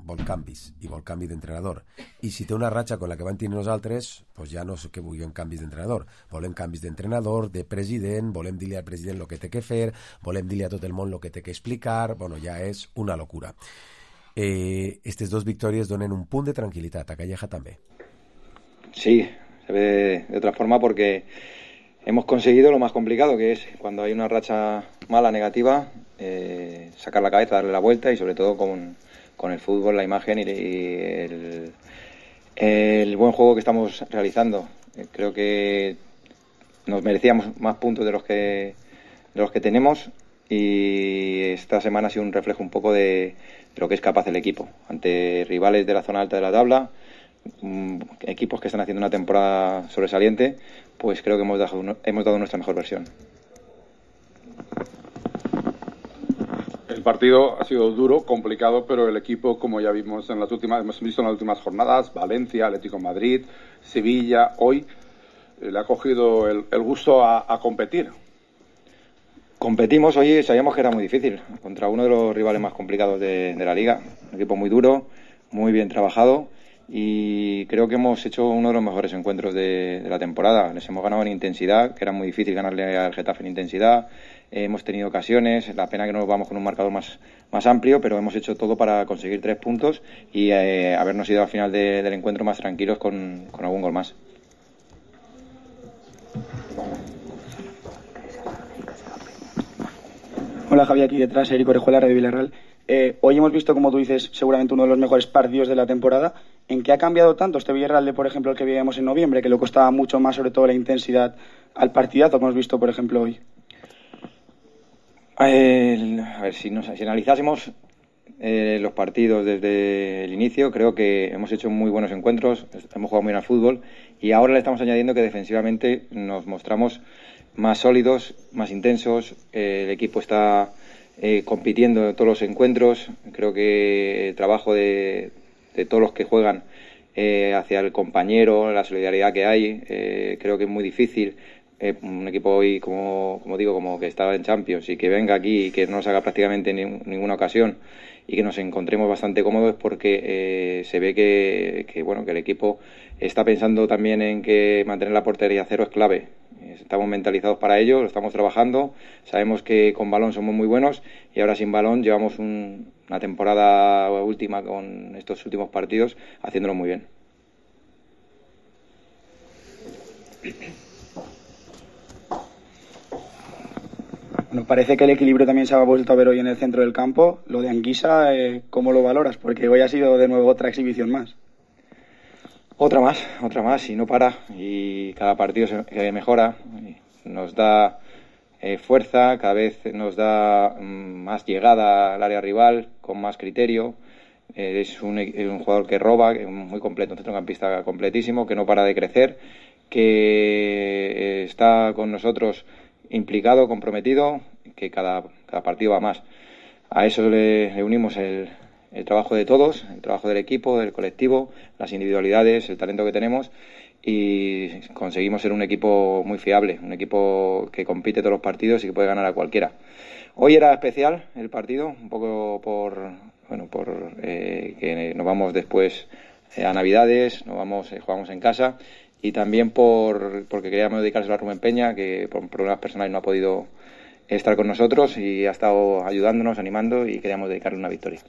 vol canvis, i vol canvi d'entrenador. I si té una ratxa com la que van tenir nosaltres, pues ja no sé què volem canvis d'entrenador. Volem canvis d'entrenador, de president, volem dir-li al president el que té que fer, volem dir-li a tot el món el que té que explicar. Bueno, ja és una locura. Eh, estas dos victorias donen un punt de tranquilitat. A Calleja també. Sí, se ve de otra forma porque hemos conseguido lo más complicado, que es cuando hay una racha mala, negativa, eh, sacar la cabeza, darle la vuelta, y sobre todo con, con el fútbol, la imagen y, y el, el buen juego que estamos realizando. Eh, creo que nos merecíamos más puntos de los que de los que tenemos, y esta semana ha sido un reflejo un poco de, de lo que es capaz el equipo ante rivales de la zona alta de la tabla, um, equipos que están haciendo una temporada sobresaliente. Pues creo que hemos dado, hemos dado nuestra mejor versión. El partido ha sido duro, complicado, pero el equipo, como ya vimos en las últimas, hemos visto en las últimas jornadas, Valencia, Atlético de Madrid, Sevilla, hoy eh, le ha cogido el, el gusto a, a competir. Competimos hoy, sabíamos que era muy difícil, contra uno de los rivales más complicados de, de la liga. Un equipo muy duro, muy bien trabajado, y creo que hemos hecho uno de los mejores encuentros de, de la temporada. Les hemos ganado en intensidad, que era muy difícil ganarle al Getafe en intensidad. Eh, hemos tenido ocasiones, la pena que no nos vamos con un marcador más, más amplio, pero hemos hecho todo para conseguir tres puntos y eh, habernos ido al final de, del encuentro más tranquilos con, con algún gol más. Hola Javier, aquí detrás, Eric Orejuela, Radio Villarreal. Eh, hoy hemos visto, como tú dices, seguramente uno de los mejores partidos de la temporada. ¿En qué ha cambiado tanto este Villarreal de, por ejemplo, el que veíamos en noviembre, que le costaba mucho más, sobre todo la intensidad, al partidazo que hemos visto, por ejemplo, hoy? El, a ver, si, nos, si analizásemos eh, los partidos desde el inicio, creo que hemos hecho muy buenos encuentros, hemos jugado muy bien al fútbol, y ahora le estamos añadiendo que defensivamente nos mostramos más sólidos, más intensos. Eh, el equipo está eh, compitiendo en todos los encuentros. Creo que el trabajo de, de todos los que juegan eh, hacia el compañero, la solidaridad que hay, eh, creo que es muy difícil. Eh, un equipo hoy, como, como digo, como que estaba en Champions, y que venga aquí y que no nos haga prácticamente ni, ninguna ocasión, y que nos encontremos bastante cómodos, porque eh, se ve que, que bueno que el equipo está pensando también en que mantener la portería a cero es clave. Estamos mentalizados para ello, lo estamos trabajando, sabemos que con balón somos muy buenos, y ahora sin balón llevamos un, una temporada última con estos últimos partidos haciéndolo muy bien. Nos parece que el equilibrio también se ha vuelto a ver hoy en el centro del campo. Lo de Anguissa, eh, ¿cómo lo valoras? Porque hoy ha sido de nuevo otra exhibición más. Otra más, otra más, y no para, y cada partido se mejora, nos da eh, fuerza, cada vez nos da mm, más llegada al área rival, con más criterio. Eh, es un, un jugador que roba, que es muy completo, un centrocampista completísimo, que no para de crecer, que eh, está con nosotros implicado, comprometido, que cada, cada partido va más. A eso le, le unimos el, el trabajo de todos, el trabajo del equipo, del colectivo, las individualidades, el talento que tenemos, y conseguimos ser un equipo muy fiable, un equipo que compite todos los partidos y que puede ganar a cualquiera. Hoy era especial el partido, un poco por, bueno, por eh, que nos vamos después eh, a Navidades, nos vamos, eh, jugamos en casa, y también por porque queríamos dedicárselo a Rubén Peña, que por problemas personales no ha podido estar con nosotros y ha estado ayudándonos, animando, y queríamos dedicarle una victoria.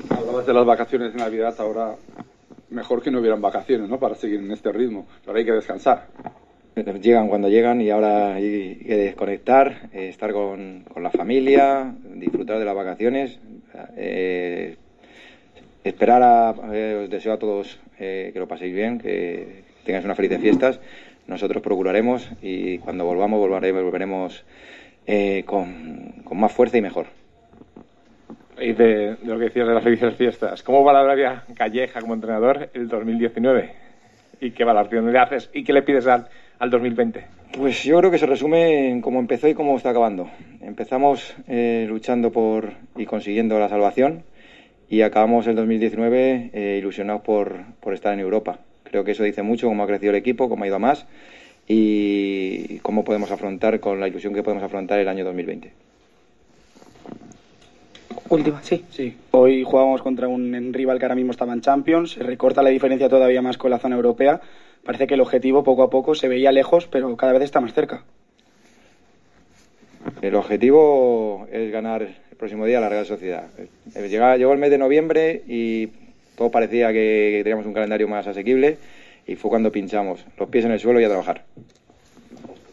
Hablabas de las vacaciones de Navidad, ahora mejor que no hubieran vacaciones, ¿no? Para seguir en este ritmo, pero hay que descansar. Llegan cuando llegan y ahora hay que desconectar, eh, estar con, con la familia, disfrutar de las vacaciones, eh, esperar a, eh, os deseo a todos eh, que lo paséis bien, que tengáis unas felices fiestas. Nosotros procuraremos, y cuando volvamos volveremos, volveremos eh, con, con más fuerza y mejor. Y de, de lo que decías de las felices fiestas, ¿cómo valoraría Calleja como entrenador el dos mil diecinueve? ¿Y qué valoración le haces? ¿Y qué le pides al, al dos mil veinte? Pues yo creo que se resume en cómo empezó y cómo está acabando. Empezamos eh, luchando por y consiguiendo la salvación, y acabamos el dos mil diecinueve eh, ilusionados por, por estar en Europa. Creo que eso dice mucho, cómo ha crecido el equipo, cómo ha ido a más, y cómo podemos afrontar, con la ilusión que podemos afrontar el año dos mil veinte. Última, sí. Sí. Hoy jugábamos contra un rival que ahora mismo estaba en Champions. Se recorta la diferencia todavía más con la zona europea. Parece que el objetivo poco a poco se veía lejos, pero cada vez está más cerca. El objetivo es ganar el próximo día a la Real Sociedad. Llegó, llegó el mes de noviembre y todo parecía que teníamos un calendario más asequible, y fue cuando pinchamos. Los pies en el suelo y a trabajar.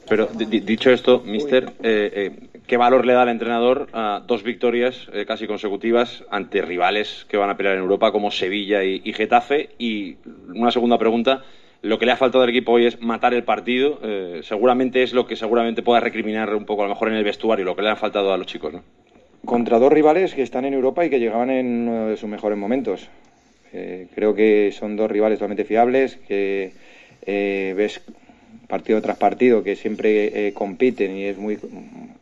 Pero d- dicho esto, mister, eh, eh, ¿qué valor le da al entrenador a dos victorias eh, casi consecutivas ante rivales que van a pelear en Europa como Sevilla y, y Getafe? Y una segunda pregunta, lo que le ha faltado al equipo hoy es matar el partido. Eh, seguramente es lo que seguramente pueda recriminar un poco a lo mejor en el vestuario, lo que le ha faltado a los chicos, ¿no? Contra dos rivales que están en Europa y que llegaban en uno de sus mejores momentos. Eh, creo que son dos rivales totalmente fiables, que eh, ves partido tras partido que siempre eh, compiten, y es muy, pues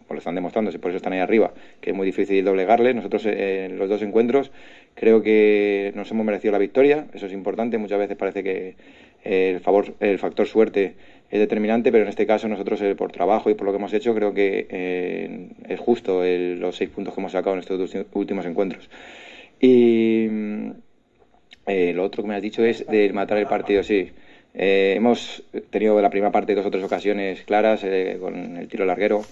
lo están demostrando, por eso están ahí arriba, que es muy difícil doblegarles. Nosotros eh, en los dos encuentros creo que nos hemos merecido la victoria, eso es importante. Muchas veces parece que eh, el favor, el factor suerte es determinante, pero en este caso nosotros eh, por trabajo y por lo que hemos hecho creo que eh, es justo el, los seis puntos que hemos sacado en estos dos últimos encuentros. Y eh, lo otro que me has dicho es de matar el partido, sí. Eh, hemos tenido la primera parte dos o tres ocasiones claras eh, con el tiro larguero.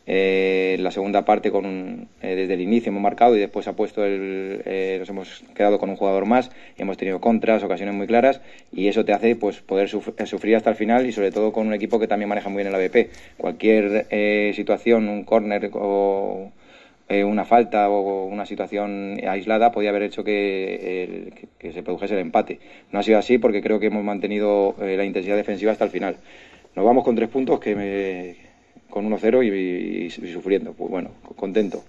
Eh, la segunda parte con un, eh, desde el inicio hemos marcado, y después ha puesto el, eh, nos hemos quedado con un jugador más, hemos tenido contras, ocasiones muy claras, y eso te hace pues poder suf- sufrir hasta el final, y sobre todo con un equipo que también maneja muy bien el A V P. Cualquier eh, situación, un córner o eh, una falta o una situación aislada podía haber hecho que, el, que, que se produjese el empate. No ha sido así, porque creo que hemos mantenido eh, la intensidad defensiva hasta el final. Nos vamos con tres puntos que me... con uno cero y, y, y sufriendo. Pues bueno, contento.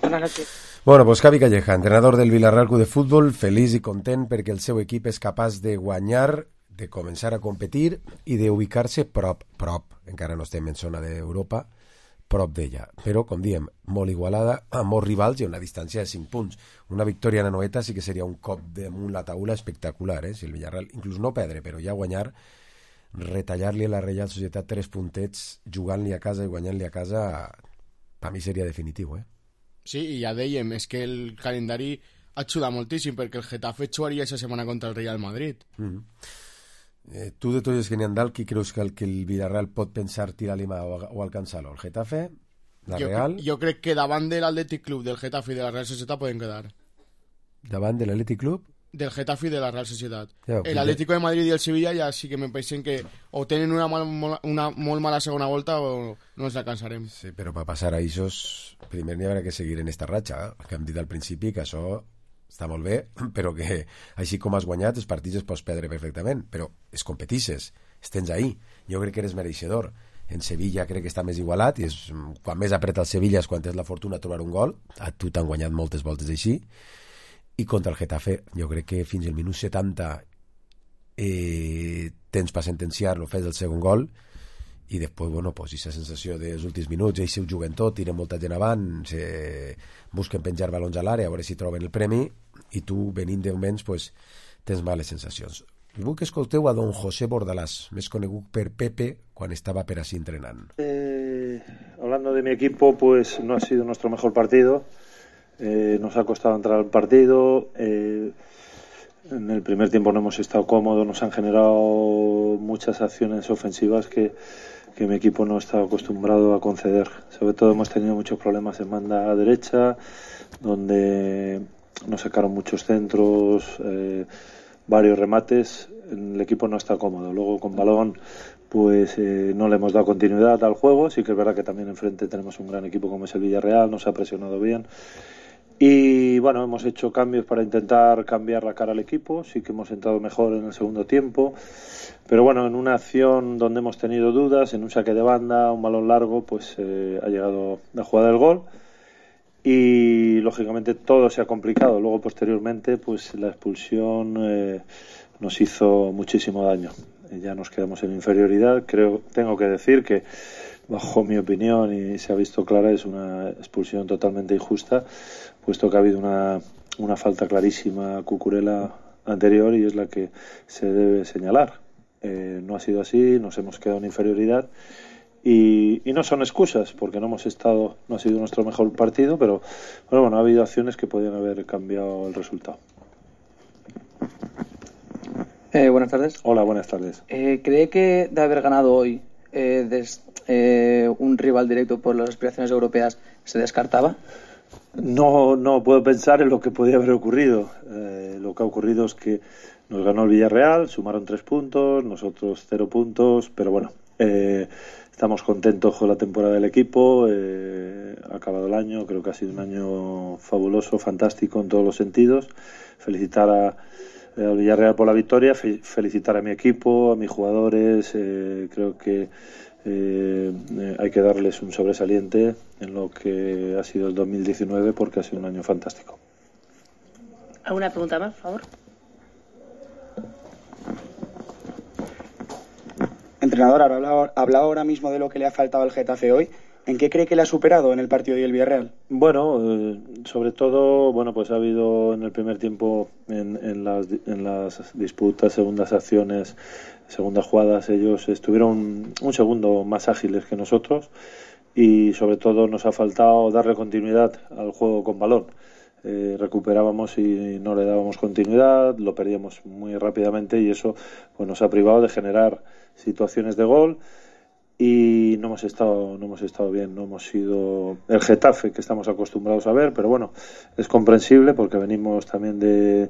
Buenas noches. Bueno, pues Javi Calleja, entrenador del Villarreal Club de Futbol, feliç i content perquè el seu equip és capaç de guanyar, de començar a competir i d'ubicar-se prop, prop, encara no estem en zona d'Europa, prop d'ella. Però, com diem, molt igualada, a molts rivals i a una distància de cinc punts. Una victòria en Anoeta sí que seria un cop damunt la taula espectacular, eh? Si el Villarreal, inclús no perdre, però ja guanyar, retallar-li a la Reial Societat tres puntets jugant-li a casa i guanyant-li a casa, per mi seria definitiu, eh? Sí, i ja dèiem, és que el calendari ajuda moltíssim, perquè el Getafe jugaria aquesta setmana contra el Real Madrid. Mm-hmm. eh, tu de tots els que n'hi ha dalt, qui creus que el, que el Villarreal pot pensar tirar-li mà o, o alcançar-lo? El Getafe? La jo, Real? Jo crec que davant de l'Atlètic Club, del Getafe i de la Real Societat poden quedar. Davant de l'Atlètic Club? Del Getafe i de la Real Societat. Ja, el Atlético de Madrid i el Sevilla ja sí que me pensen que o tenen una, mal, una molt mala segona volta o no ens alcançarem. Sí, però per passar a Ixos primer n'hi haurà que seguir en esta ratxa, eh? Que hem dit al principi que això està molt bé, però que així com has guanyat els partits es pots perdre perfectament, però es competisses, es tens ahí, jo crec que eres mereixedor. En Sevilla crec que està més igualat, i és, quan més apreta el Sevilla és quan tens la fortuna de trobar un gol, a tu t'han guanyat moltes voltes així. I contra el Getafe jo crec que fins al minut setanta eh, tens per sentenciar-lo, fes el segon gol, i després, bueno, pues, aquesta sensació dels últims minuts, ells ho juguen tot, tiren molta gent avant, se busquen penjar balons a l'àrea, a veure si troben el premi, i tu, venint de moments, pues, tens males sensacions. Vull que escolteu a don José Bordalás, més conegut per Pepe, quan estava per así entrenant. Eh, hablando de mi equipo, pues no ha sido nuestro mejor partido. Eh, nos ha costado entrar al partido. Eh, en el primer tiempo no hemos estado cómodos, nos han generado muchas acciones ofensivas que, que mi equipo no está acostumbrado a conceder. Sobre todo hemos tenido muchos problemas en banda derecha, donde nos sacaron muchos centros, eh, varios remates. El equipo no está cómodo. Luego con balón pues eh, no le hemos dado continuidad al juego. Sí que es verdad que también enfrente tenemos un gran equipo como es el Villarreal, nos ha presionado bien. Y bueno, hemos hecho cambios para intentar cambiar la cara al equipo. Sí que hemos entrado mejor en el segundo tiempo, pero bueno, en una acción donde hemos tenido dudas, en un saque de banda, un balón largo, pues eh, ha llegado la jugada del gol y lógicamente todo se ha complicado. Luego posteriormente pues la expulsión eh, nos hizo muchísimo daño. Ya nos quedamos en inferioridad. Creo, tengo que decir que bajo mi opinión, y se ha visto clara, es una expulsión totalmente injusta, puesto que ha habido una, una falta clarísima a Cucurella anterior y es la que se debe señalar. Eh, no ha sido así, nos hemos quedado en inferioridad y, y no son excusas, porque no hemos estado, no ha sido nuestro mejor partido, pero bueno, bueno, ha habido acciones que podían haber cambiado el resultado. Eh, buenas tardes. Hola, buenas tardes. Eh, ¿Cree que de haber ganado hoy eh, des, eh, un rival directo por las aspiraciones europeas se descartaba? No, no puedo pensar en lo que podía haber ocurrido. Eh, lo que ha ocurrido es que nos ganó el Villarreal, sumaron tres puntos, nosotros cero puntos, pero bueno, eh, estamos contentos con la temporada del equipo. Eh, ha acabado el año, creo que ha sido un año fabuloso, fantástico en todos los sentidos. Felicitar a al Villarreal por la victoria, fe, felicitar a mi equipo, a mis jugadores. Eh, creo que eh, eh, hay que darles un sobresaliente en lo que ha sido el dos mil diecinueve, porque ha sido un año fantástico. ¿Alguna pregunta más, por favor? Entrenador, habla, habla ahora mismo de lo que le ha faltado al Getafe hoy. ¿En qué cree que le ha superado en el partido del Villarreal? Bueno, eh, sobre todo, bueno, pues ha habido en el primer tiempo, en, en, las, en las disputas, segundas acciones, segundas jugadas, ellos estuvieron un segundo más ágiles que nosotros y sobre todo nos ha faltado darle continuidad al juego con balón. Eh, recuperábamos y no le dábamos continuidad, lo perdíamos muy rápidamente y eso pues nos ha privado de generar situaciones de gol. Y no hemos estado no hemos estado bien, no hemos sido el Getafe que estamos acostumbrados a ver, pero bueno, es comprensible porque venimos también de,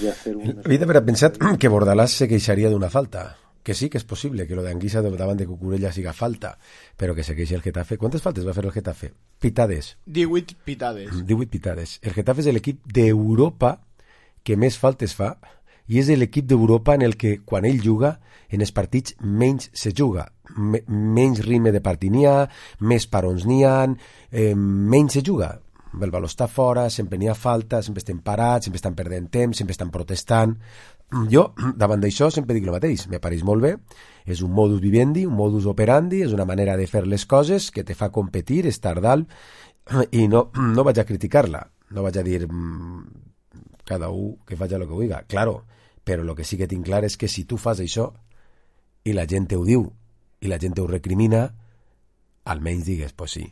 de hacer un... Havia d'haver pensat que Bordalás se queixaria d'una falta, que sí que és possible que lo d'Anguissa davant de Cucurella siga falta, però que se queixi el Getafe. Quantes faltes va fer el Getafe? Pitades. divuit pitades. divuit pitades. El Getafe és l'equip d'Europa que més faltes fa i és l'equip d'Europa en el que, quan ell juga, en els partits menys se juga. Me, menys ritme de partit n'hi ha, més parons n'hi ha, eh, menys se juga. El valor està fora, sempre n'hi ha falta, sempre estem parats, sempre estan perdent temps, sempre estan protestant. Jo, davant d'això, sempre dic el mateix. Me pareix molt bé. És un modus vivendi, un modus operandi, és una manera de fer les coses que te fa competir, estar dalt, i no, no vaig a criticar-la. No vaig a dir cada un que faci el que vulgui. Claro, però el que sí que tinc clar és que si tu fas això i la gent ho diu i la gent ho recrimina, almenys digues, pues sí,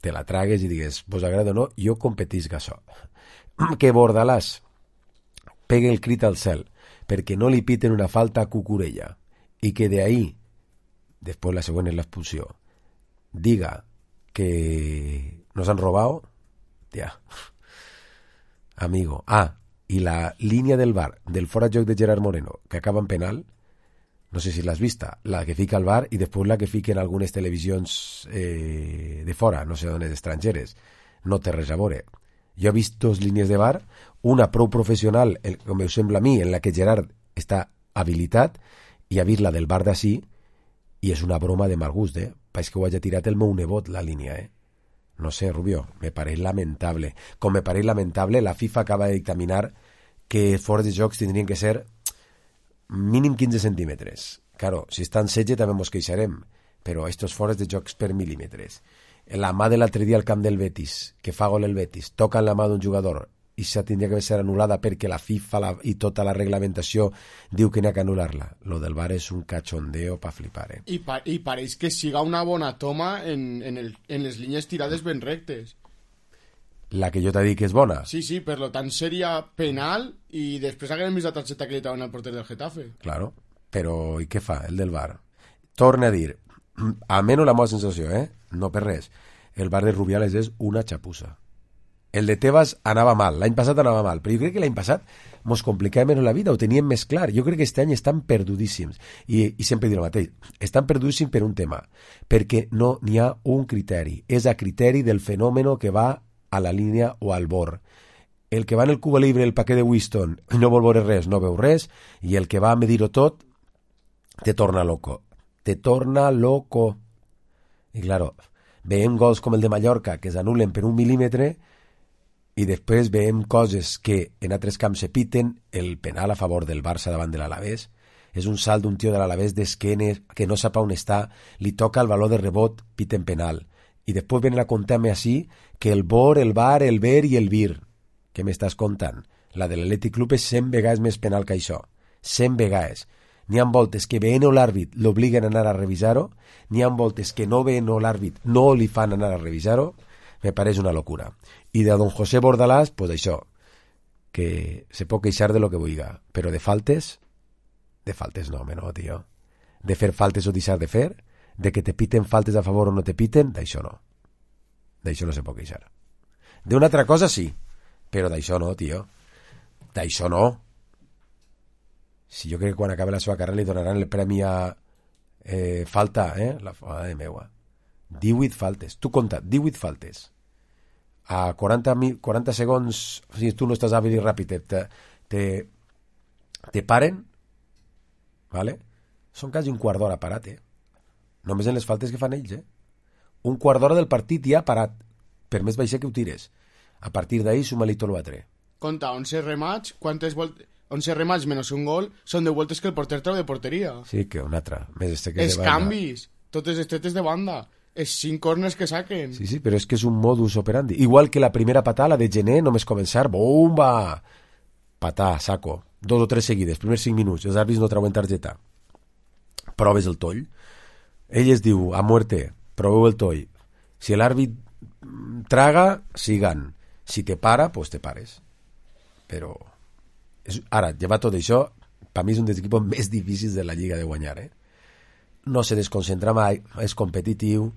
te la tragues i digues, vos agrada o no, jo competisc això. Que Bordalás pegue el crit al cel perquè no li piten una falta a Cucurella i que de ahí, després la següent és l'expulsió, diga que nos han robado, ja, amigo. Ah, i la línia del V A R del fora de joc de Gerard Moreno que acaba en penal, no sé si l'has vista, la que fica el V A R i després la que fiquen algunes televisions eh, de fora, no sé d'on és, estrangeres, no té res a veure. Jo he vist dos línies de V A R, una prou professional, el, com em sembla a mi, en la que Gerard està habilitat, i ha vist la del V A R d'ací, i és una broma de mal gust, eh? Pareix que ho hagi tirat el meu nebot, la línia, eh? No sé, Rubio, me pareix lamentable. Com me pareix lamentable, la FIFA acaba de dictaminar que fora de jocs tindrien que ser mínim quinze centímetres. Claro, si estan setze també ens queixarem, però estos fores de jocs per mil·límetres. La mà de l'altre dia al camp del Betis, que fa gol el Betis, toca en la mà d'un jugador i s'ha tindria que ser anul·lada perquè la FIFA la, i tota la reglamentació diu que n'hi ha que anul·lar-la. Lo del V A R és un cachondeo pa flipar, eh? I, pa i pareix que siga una bona toma en, en, el, en les línies tirades ben rectes. La que jo t'he dit que és bona. Sí, sí, per lo tant seria penal i després haguem vist la targeta que li trauen al porter del Getafe. Claro, però i què fa el del V A R? Torna a dir, almenys la meva sensació, eh? No per res, el V A R de Rubiales és una xapussa. El de Tebas anava mal, l'any passat anava mal, però jo crec que l'any passat mos complicava menys la vida, ho teníem més clar. Jo crec que aquest any estan perdudíssims. I, i sempre dic el mateix, estan perdudíssims per un tema, perquè no n'hi ha un criteri. És a criteri del fenomen que va a la línia o al bord. El que va en el Cuba Libre, el paquet de Winston, no vol veure res, no veu res, i el que va a medir-ho tot, te torna loco. Te torna loco. I claro, veiem gols com el de Mallorca, que s'anulen per un mil·límetre, i després veiem coses que en altres camps se piten, el penal a favor del Barça davant de l'Alavés, és un salt d'un tio de l'Alavés d'esquenes que no sap on està, li toca el valor de rebot, piten penal. I després venen a contar-me així que el B O R, el V A R, el V E R i el V I R. Què m'estàs contant? La de l'Atlètic Club és cent vegades més penal que això. cent vegades. N'hi ha voltes que veient l'àrbit l'obliguen a anar a revisar-ho, n'hi ha voltes que no veient l'àrbit no li fan anar a revisar-ho. Me pareix una locura. I de don José Bordalás, pues això, que se pot queixar de lo que vulgui, però de faltes, de faltes no, home, no, tio. De fer faltes o deixar de fer, de que te piten faltes a favor o no te piten, d'això no. D'això no se pot queixar. D'una altra cosa sí, però d'això no, tio. D'això no. Si jo crec que quan acabi la seva carrera li donaran el premi a eh, falta, eh? La fada de meua. divuit faltes. Tu compta, divuit faltes. A quaranta, quaranta segons, si tu no estàs hàbil i ràpid, te, te, te paren, vale? Són quasi un quart d'hora parat, eh? Només en les faltes que fan ells, eh? Un quart d'hora del partit ja parat, per més baixer que ho tires. A partir d'ahir suma-li tot l'altre. Compta, onze remats, quantes voltes... onze remats menys un gol són de voltes que el porter treu de porteria. Sí, que una altra. Més esteques els de banda. canvis, totes les tetes de banda, els cinc corners que saquen. Sí, sí, però és que és un modus operandi. Igual que la primera patada, la de Gené, només començar, bomba! Patà, saco. Dos o tres seguides, primers cinc minuts, els àrbits no treuen targeta. Proves el toll. Ell es diu, a muerte, proveu el toll. Si l'àrbit traga, sigan. Si te para, pues te pares. Però... És, ara, llevar tot això, per mi és un dels equipos més difícils de la Lliga de guanyar, eh? No se desconcentra mai, és competitiu,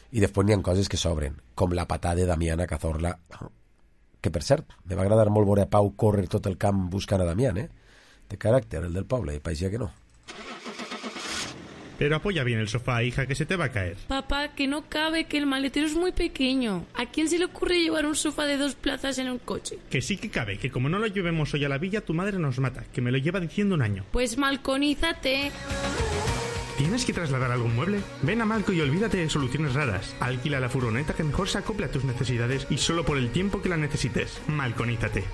i després n'hi ha coses que sobren, com la patada de Damián a Cazorla, que per cert, me va agradar molt veure a Pau córrer tot el camp buscant a Damián, eh? De caràcter, el del poble, i pareixia que no. Pero apoya bien el sofá, hija, que se te va a caer. Papá, que no cabe, que el maletero es muy pequeño. ¿A quién se le ocurre llevar un sofá de dos plazas en un coche? Que sí que cabe, que como no lo llevemos hoy a la villa, tu madre nos mata, que me lo lleva diciendo un año. Pues malconízate. ¿Tienes que trasladar algún mueble? Ven a Malco y olvídate de soluciones raras. Alquila la furgoneta que mejor se acople a tus necesidades y solo por el tiempo que la necesites. Malconízate.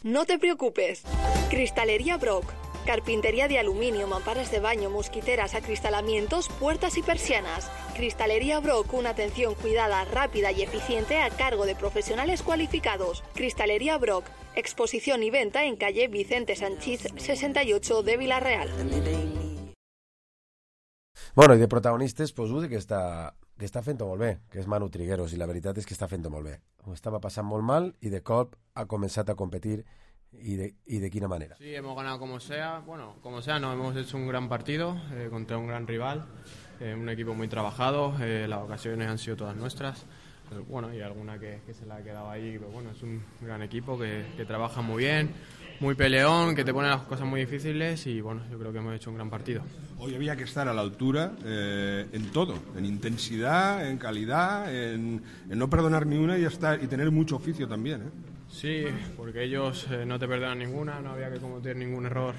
No te preocupes. Cristalería Brock. Carpintería de aluminio, mamparas de baño, mosquiteras, acristalamientos, puertas y persianas. Cristalería Brock, una atención cuidada, rápida y eficiente a cargo de profesionales cualificados. Cristalería Brock, exposición y venta en calle Vicente Sanchís sesenta y ocho de Vila-real. Bueno, i de protagonistes, pues, un que està, que està fent-ho molt bé, que és Manu Trigueros, i la veritat és que està fent-ho molt bé. Ho estava passant molt mal i de cop ha començat a competir. ¿Y de, ¿Y de qué manera? Sí, hemos ganado como sea, bueno, como sea, no, hemos hecho un gran partido eh, contra un gran rival, eh, un equipo muy trabajado, eh, las ocasiones han sido todas nuestras, eh, bueno, y alguna que, que se la ha quedado ahí, pero bueno, es un gran equipo que, que trabaja muy bien, muy peleón, que te pone las cosas muy difíciles y bueno, yo creo que hemos hecho un gran partido. Hoy había que estar a la altura eh, en todo, en intensidad, en calidad, en, en no perdonar ni una y, estar, y tener mucho oficio también, ¿eh? Sí, porque ellos eh, no te perdonan ninguna, no había que cometer ningún error,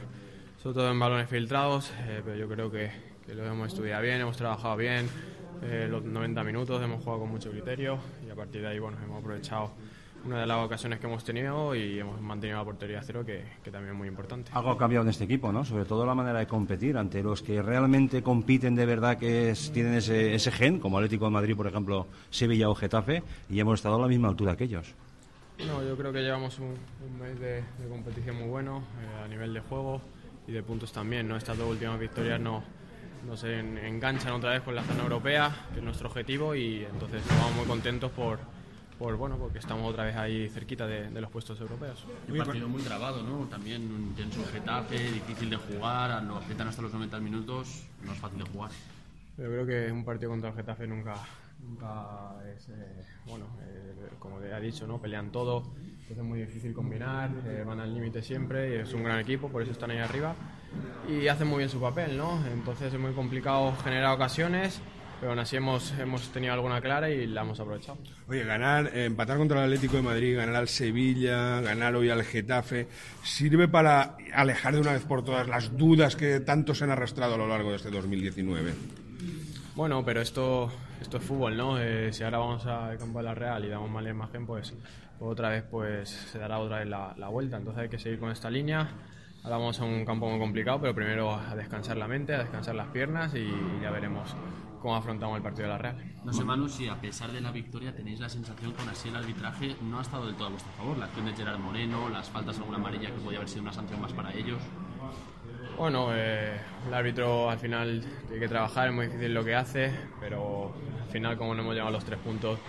sobre todo en balones filtrados, eh, pero yo creo que, que lo hemos estudiado bien, hemos trabajado bien, eh, los noventa minutos hemos jugado con mucho criterio y a partir de ahí bueno, hemos aprovechado una de las ocasiones que hemos tenido y hemos mantenido la portería a cero, que, que también es muy importante. Algo ha cambiado en este equipo, ¿no? Sobre todo la manera de competir ante los que realmente compiten de verdad, que es, tienen ese, ese gen, como Atlético de Madrid, por ejemplo, Sevilla o Getafe, y hemos estado a la misma altura que ellos. No, yo creo que llevamos un, un mes de, de competición muy bueno, eh, a nivel de juego y de puntos también, ¿no? Estas dos últimas victorias no, no se en, enganchan otra vez con la zona europea, que es nuestro objetivo, y entonces estamos muy contentos por, por bueno, porque estamos otra vez ahí cerquita de, de los puestos europeos. Un partido muy trabado, ¿no? También un intenso Getafe, difícil de jugar, lo aprietan hasta los noventa minutos, no es fácil de jugar. Yo creo que un partido contra el Getafe nunca, nunca es, eh, bueno, eh, como te ha dicho, ¿no? Pelean todo, entonces es muy difícil combinar, eh, van al límite siempre, y es un gran equipo, por eso están ahí arriba, y hacen muy bien su papel, ¿no? Entonces es muy complicado generar ocasiones, pero aún así hemos, hemos tenido alguna clara y la hemos aprovechado. Oye, ganar, eh, empatar contra el Atlético de Madrid, ganar al Sevilla, ganar hoy al Getafe, ¿sirve para alejar de una vez por todas las dudas que tanto se han arrastrado a lo largo de este dos mil diecinueve? Bueno, pero esto, esto es fútbol, ¿no? Eh, si ahora vamos al campo de la Real y damos mala imagen, pues, pues otra vez pues se dará otra vez la, la vuelta. Entonces hay que seguir con esta línea. Ahora vamos a un campo muy complicado, pero primero a descansar la mente, a descansar las piernas y, y ya veremos cómo afrontamos el partido de la Real. No sé, Manu, si a pesar de la victoria tenéis la sensación que aún así el arbitraje no ha estado del todo a vuestro favor. La acción de Gerard Moreno, las faltas, alguna amarilla que podía haber sido una sanción más para ellos. Bueno, eh, el árbitro al final tiene que trabajar, es muy difícil lo que hace, pero al final como no hemos llegado a los tres puntos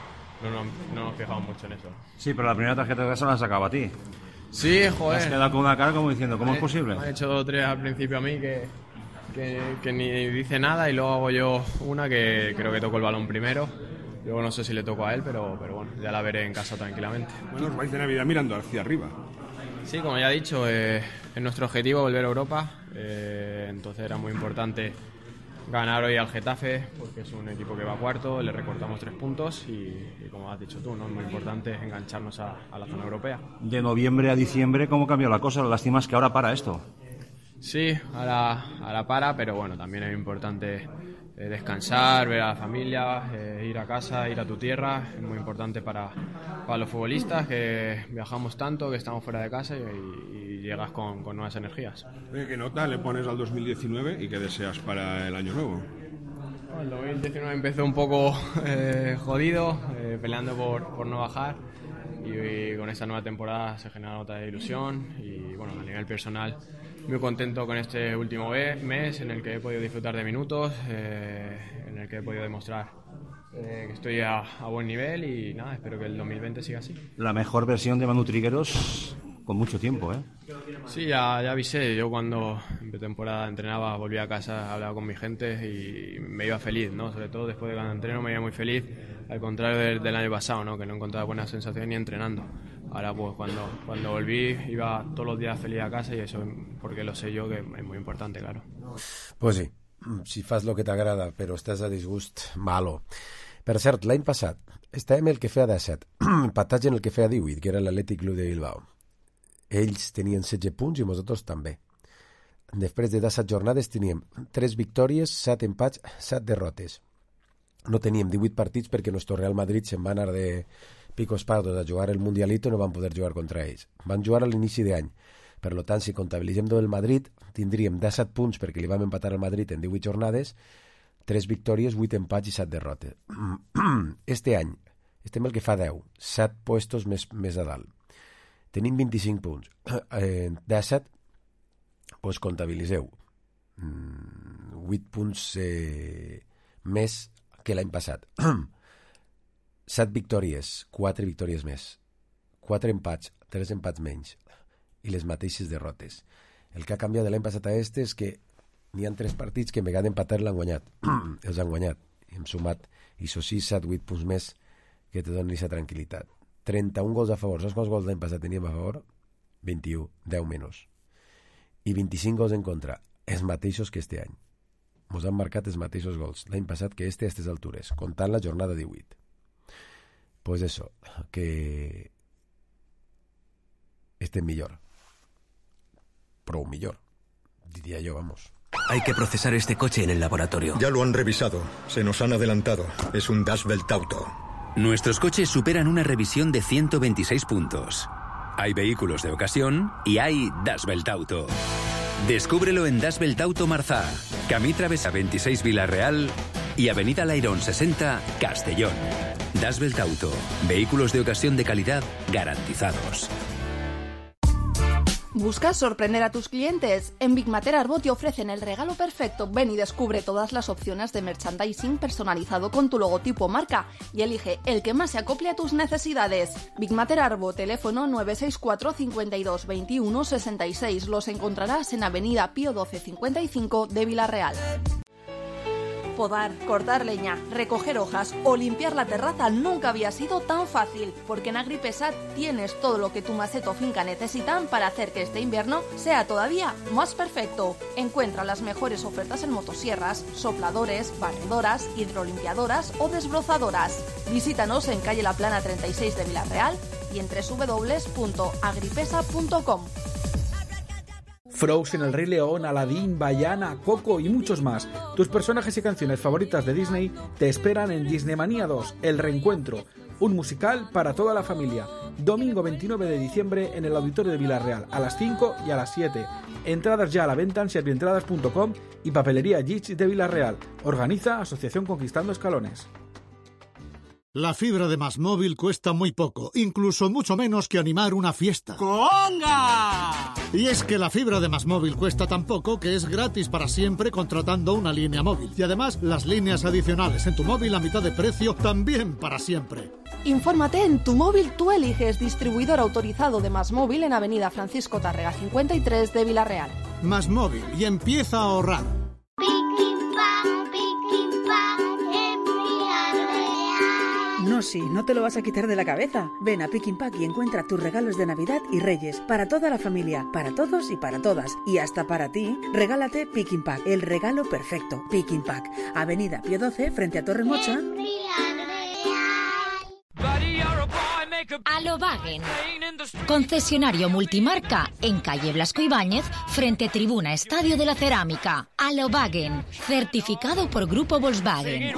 no nos, no nos fijamos mucho en eso. Sí, pero la primera tarjeta de gas se la sacaba a ti. Sí, joder. Has quedado con una cara como diciendo, ¿cómo me, es posible? Me han hecho dos o tres al principio a mí que, que, que ni dice nada y luego hago yo una que creo que toco el balón primero. Luego no sé si le toco a él, pero, pero bueno, ya la veré en casa tranquilamente. Bueno, os vais de Navidad mirando hacia arriba. Sí, como ya he dicho, eh, es nuestro objetivo volver a Europa, eh, entonces era muy importante ganar hoy al Getafe, porque es un equipo que va cuarto, le recortamos tres puntos y, y como has dicho tú, ¿no? Es muy importante engancharnos a, a la zona europea. De noviembre a diciembre, ¿cómo cambió la cosa? La lástima es que ahora para esto. Sí, ahora, ahora para, pero bueno, también es importante eh, descansar, ver a la familia, eh, ir a casa, ir a tu tierra. Es muy importante para, para los futbolistas que viajamos tanto, que estamos fuera de casa y, y llegas con, con nuevas energías. Oye, ¿qué nota le pones al dos mil diecinueve y qué deseas para el año nuevo? Bueno, el dos mil diecinueve empezó un poco eh, jodido, eh, peleando por, por no bajar. Y, y con esta nueva temporada se genera otra ilusión y bueno, a nivel personal muy contento con este último mes en el que he podido disfrutar de minutos, eh, en el que he podido demostrar eh, que estoy a, a buen nivel y nada, espero que el dos mil veinte siga así. La mejor versión de Manu Trigueros con mucho tiempo, ¿eh? Sí, ya, ya avisé, yo cuando en pretemporada entrenaba, volvía a casa, hablaba con mi gente y me iba feliz, ¿no? Sobre todo después de cada entreno me iba muy feliz, al contrario del, del año pasado, ¿no? Que no encontraba buenas sensaciones ni entrenando. Ahora pues cuando, cuando volví iba todos los días feliz a casa y eso porque lo sé yo que es muy importante, claro. Pues sí, si fas lo que t'agrada però estàs a disgust, malo. Per cert, l'any passat estàvem el que feia disset, empatats en el que feia divuit, que era l'Atlètic Club de Bilbao. Ells tenien setze punts i nosaltres també. Després de disset jornades teníem tres victòries, set empats, set derrotes. No teníem divuit partits perquè nuestro Real Madrid se'n va anar de picos pardos a jugar el Mundialito i no van poder jugar contra ells. Van jugar a l'inici d'any. Per tant, si comptabilitzem del Madrid, tindríem disset punts perquè li vam empatar al Madrid en divuit jornades, tres victòries, vuit empats i set derrotes. Este any estem el que fa deu, set puestos més, més a dalt. Tenim vint-i-cinc punts. Eh, disset, doncs comptabilitzeu. vuit punts eh, més que l'any passat. set victòries, quatre victòries més. quatre empats, tres empats menys. I les mateixes derrotes. El que ha canviat de l'any passat a este és que n'hi ha tres partits que en vegada d'empatar l'han guanyat. Els han guanyat. I hem sumat, i això sí, set, vuit punts més que te donen aquesta tranquil·litat. trenta-un gols a favor. Saps quants gols l'any passat teníem a favor? vint-i-u, deu menys. I vint-i-cinc gols en contra. Els mateixos que este any. Ens han marcat els mateixos gols l'any passat que este a aquestes altures, comptant la jornada divuit. Pues eso, que este es mejor. Pro mejor, diría yo, vamos. Hay que procesar este coche en el laboratorio. Ya lo han revisado. Se nos han adelantado. Es un Das Welt Auto. Nuestros coches superan una revisión de ciento veintiséis puntos. Hay vehículos de ocasión y hay Das Welt Auto. Descúbrelo en Das Welt Auto Marzá, Camí Travesa veintiséis Vila Real y Avenida Lairón sesenta, Castellón. Das Belt Auto. Vehículos de ocasión de calidad garantizados. ¿Buscas sorprender a tus clientes? En Big Mater Arbo te ofrecen el regalo perfecto. Ven y descubre todas las opciones de merchandising personalizado con tu logotipo marca y elige el que más se acople a tus necesidades. Big Mater Arbo, teléfono nueve seis cuatro, cincuenta y dos, veintiuno, sesenta y seis. Los encontrarás en Avenida Pío doce cincuenta y cinco de Vila-real. Podar, cortar leña, recoger hojas o limpiar la terraza nunca había sido tan fácil, porque en Agripesa tienes todo lo que tu maceta o finca necesitan para hacer que este invierno sea todavía más perfecto. Encuentra las mejores ofertas en motosierras, sopladores, barredoras, hidrolimpiadoras o desbrozadoras. Visítanos en calle La Plana treinta y seis de Vila-real y en doble u doble u doble u punto agripesa punto com. Frozen, El Rey León, Aladdin, Vaiana, Coco y muchos más. Tus personajes y canciones favoritas de Disney te esperan en Disneymanía dos, El Reencuentro, un musical para toda la familia. Domingo veintinueve de diciembre en el Auditorio de Vila-real, a las cinco y a las siete. Entradas ya a la venta en servientradas punto com y Papelería Gich de Vila-real. Organiza Asociación Conquistando Escalones. La fibra de MásMóvil cuesta muy poco, incluso mucho menos que animar una fiesta. ¡Conga! Y es que la fibra de MásMóvil cuesta tan poco que es gratis para siempre contratando una línea móvil. Y además, las líneas adicionales en tu móvil a mitad de precio también para siempre. Infórmate en Tu Móvil Tú Eliges, distribuidor autorizado de MásMóvil en Avenida Francisco Tárrega cincuenta y tres de Vila-real. MásMóvil, y empieza a ahorrar. No, sí, no te lo vas a quitar de la cabeza. Ven a Pick and Pack y encuentra tus regalos de Navidad y Reyes. Para toda la familia, para todos y para todas. Y hasta para ti, regálate Pick and Pack, el regalo perfecto. Pick and Pack, Avenida Pío doce, frente a Torre Mocha. Alobagen, concesionario multimarca en calle Blasco Ibáñez, frente Tribuna Estadio de la Cerámica. Alobagen, certificado por Grupo Volkswagen.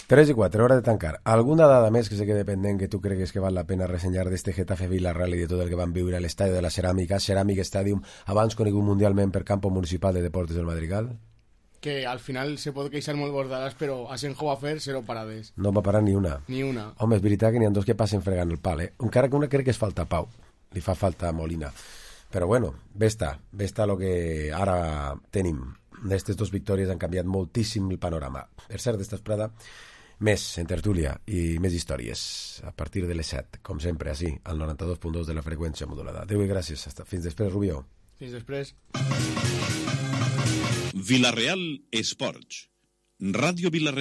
tres i quatre, hora de tancar. Alguna dada més que se quede pendent que tu cregues que val la pena ressenyar d'este Getafe Vila-real i de tot el que van viure a l'estadi de la Ceràmica, Ceràmic Stadium, abans conegut mundialment per Campo Municipal de Deportes del Madrigal? Que al final se pot queixar molt Bordalàs, però Asenjo va fer zero parades. No va parar ni una. Ni una. Home, és veritat que n'hi ha dos que passen fregant el pal, eh? Encara que una crec que es falta Pau. Li fa falta Molina. Però bueno, ves-ta, ves-ta el que ara tenim. D'estes dues victòries han canviat moltíssim el panorama. Per cert, d'esta esprada, més en tertúlia i més històries a partir de les set, com sempre, així, al noranta-dos punt dos de la freqüència modulada. Adéu i gràcies. Hasta. Fins després, Rubió. Fins després. Vila-real Esports. Ràdio Vila-real.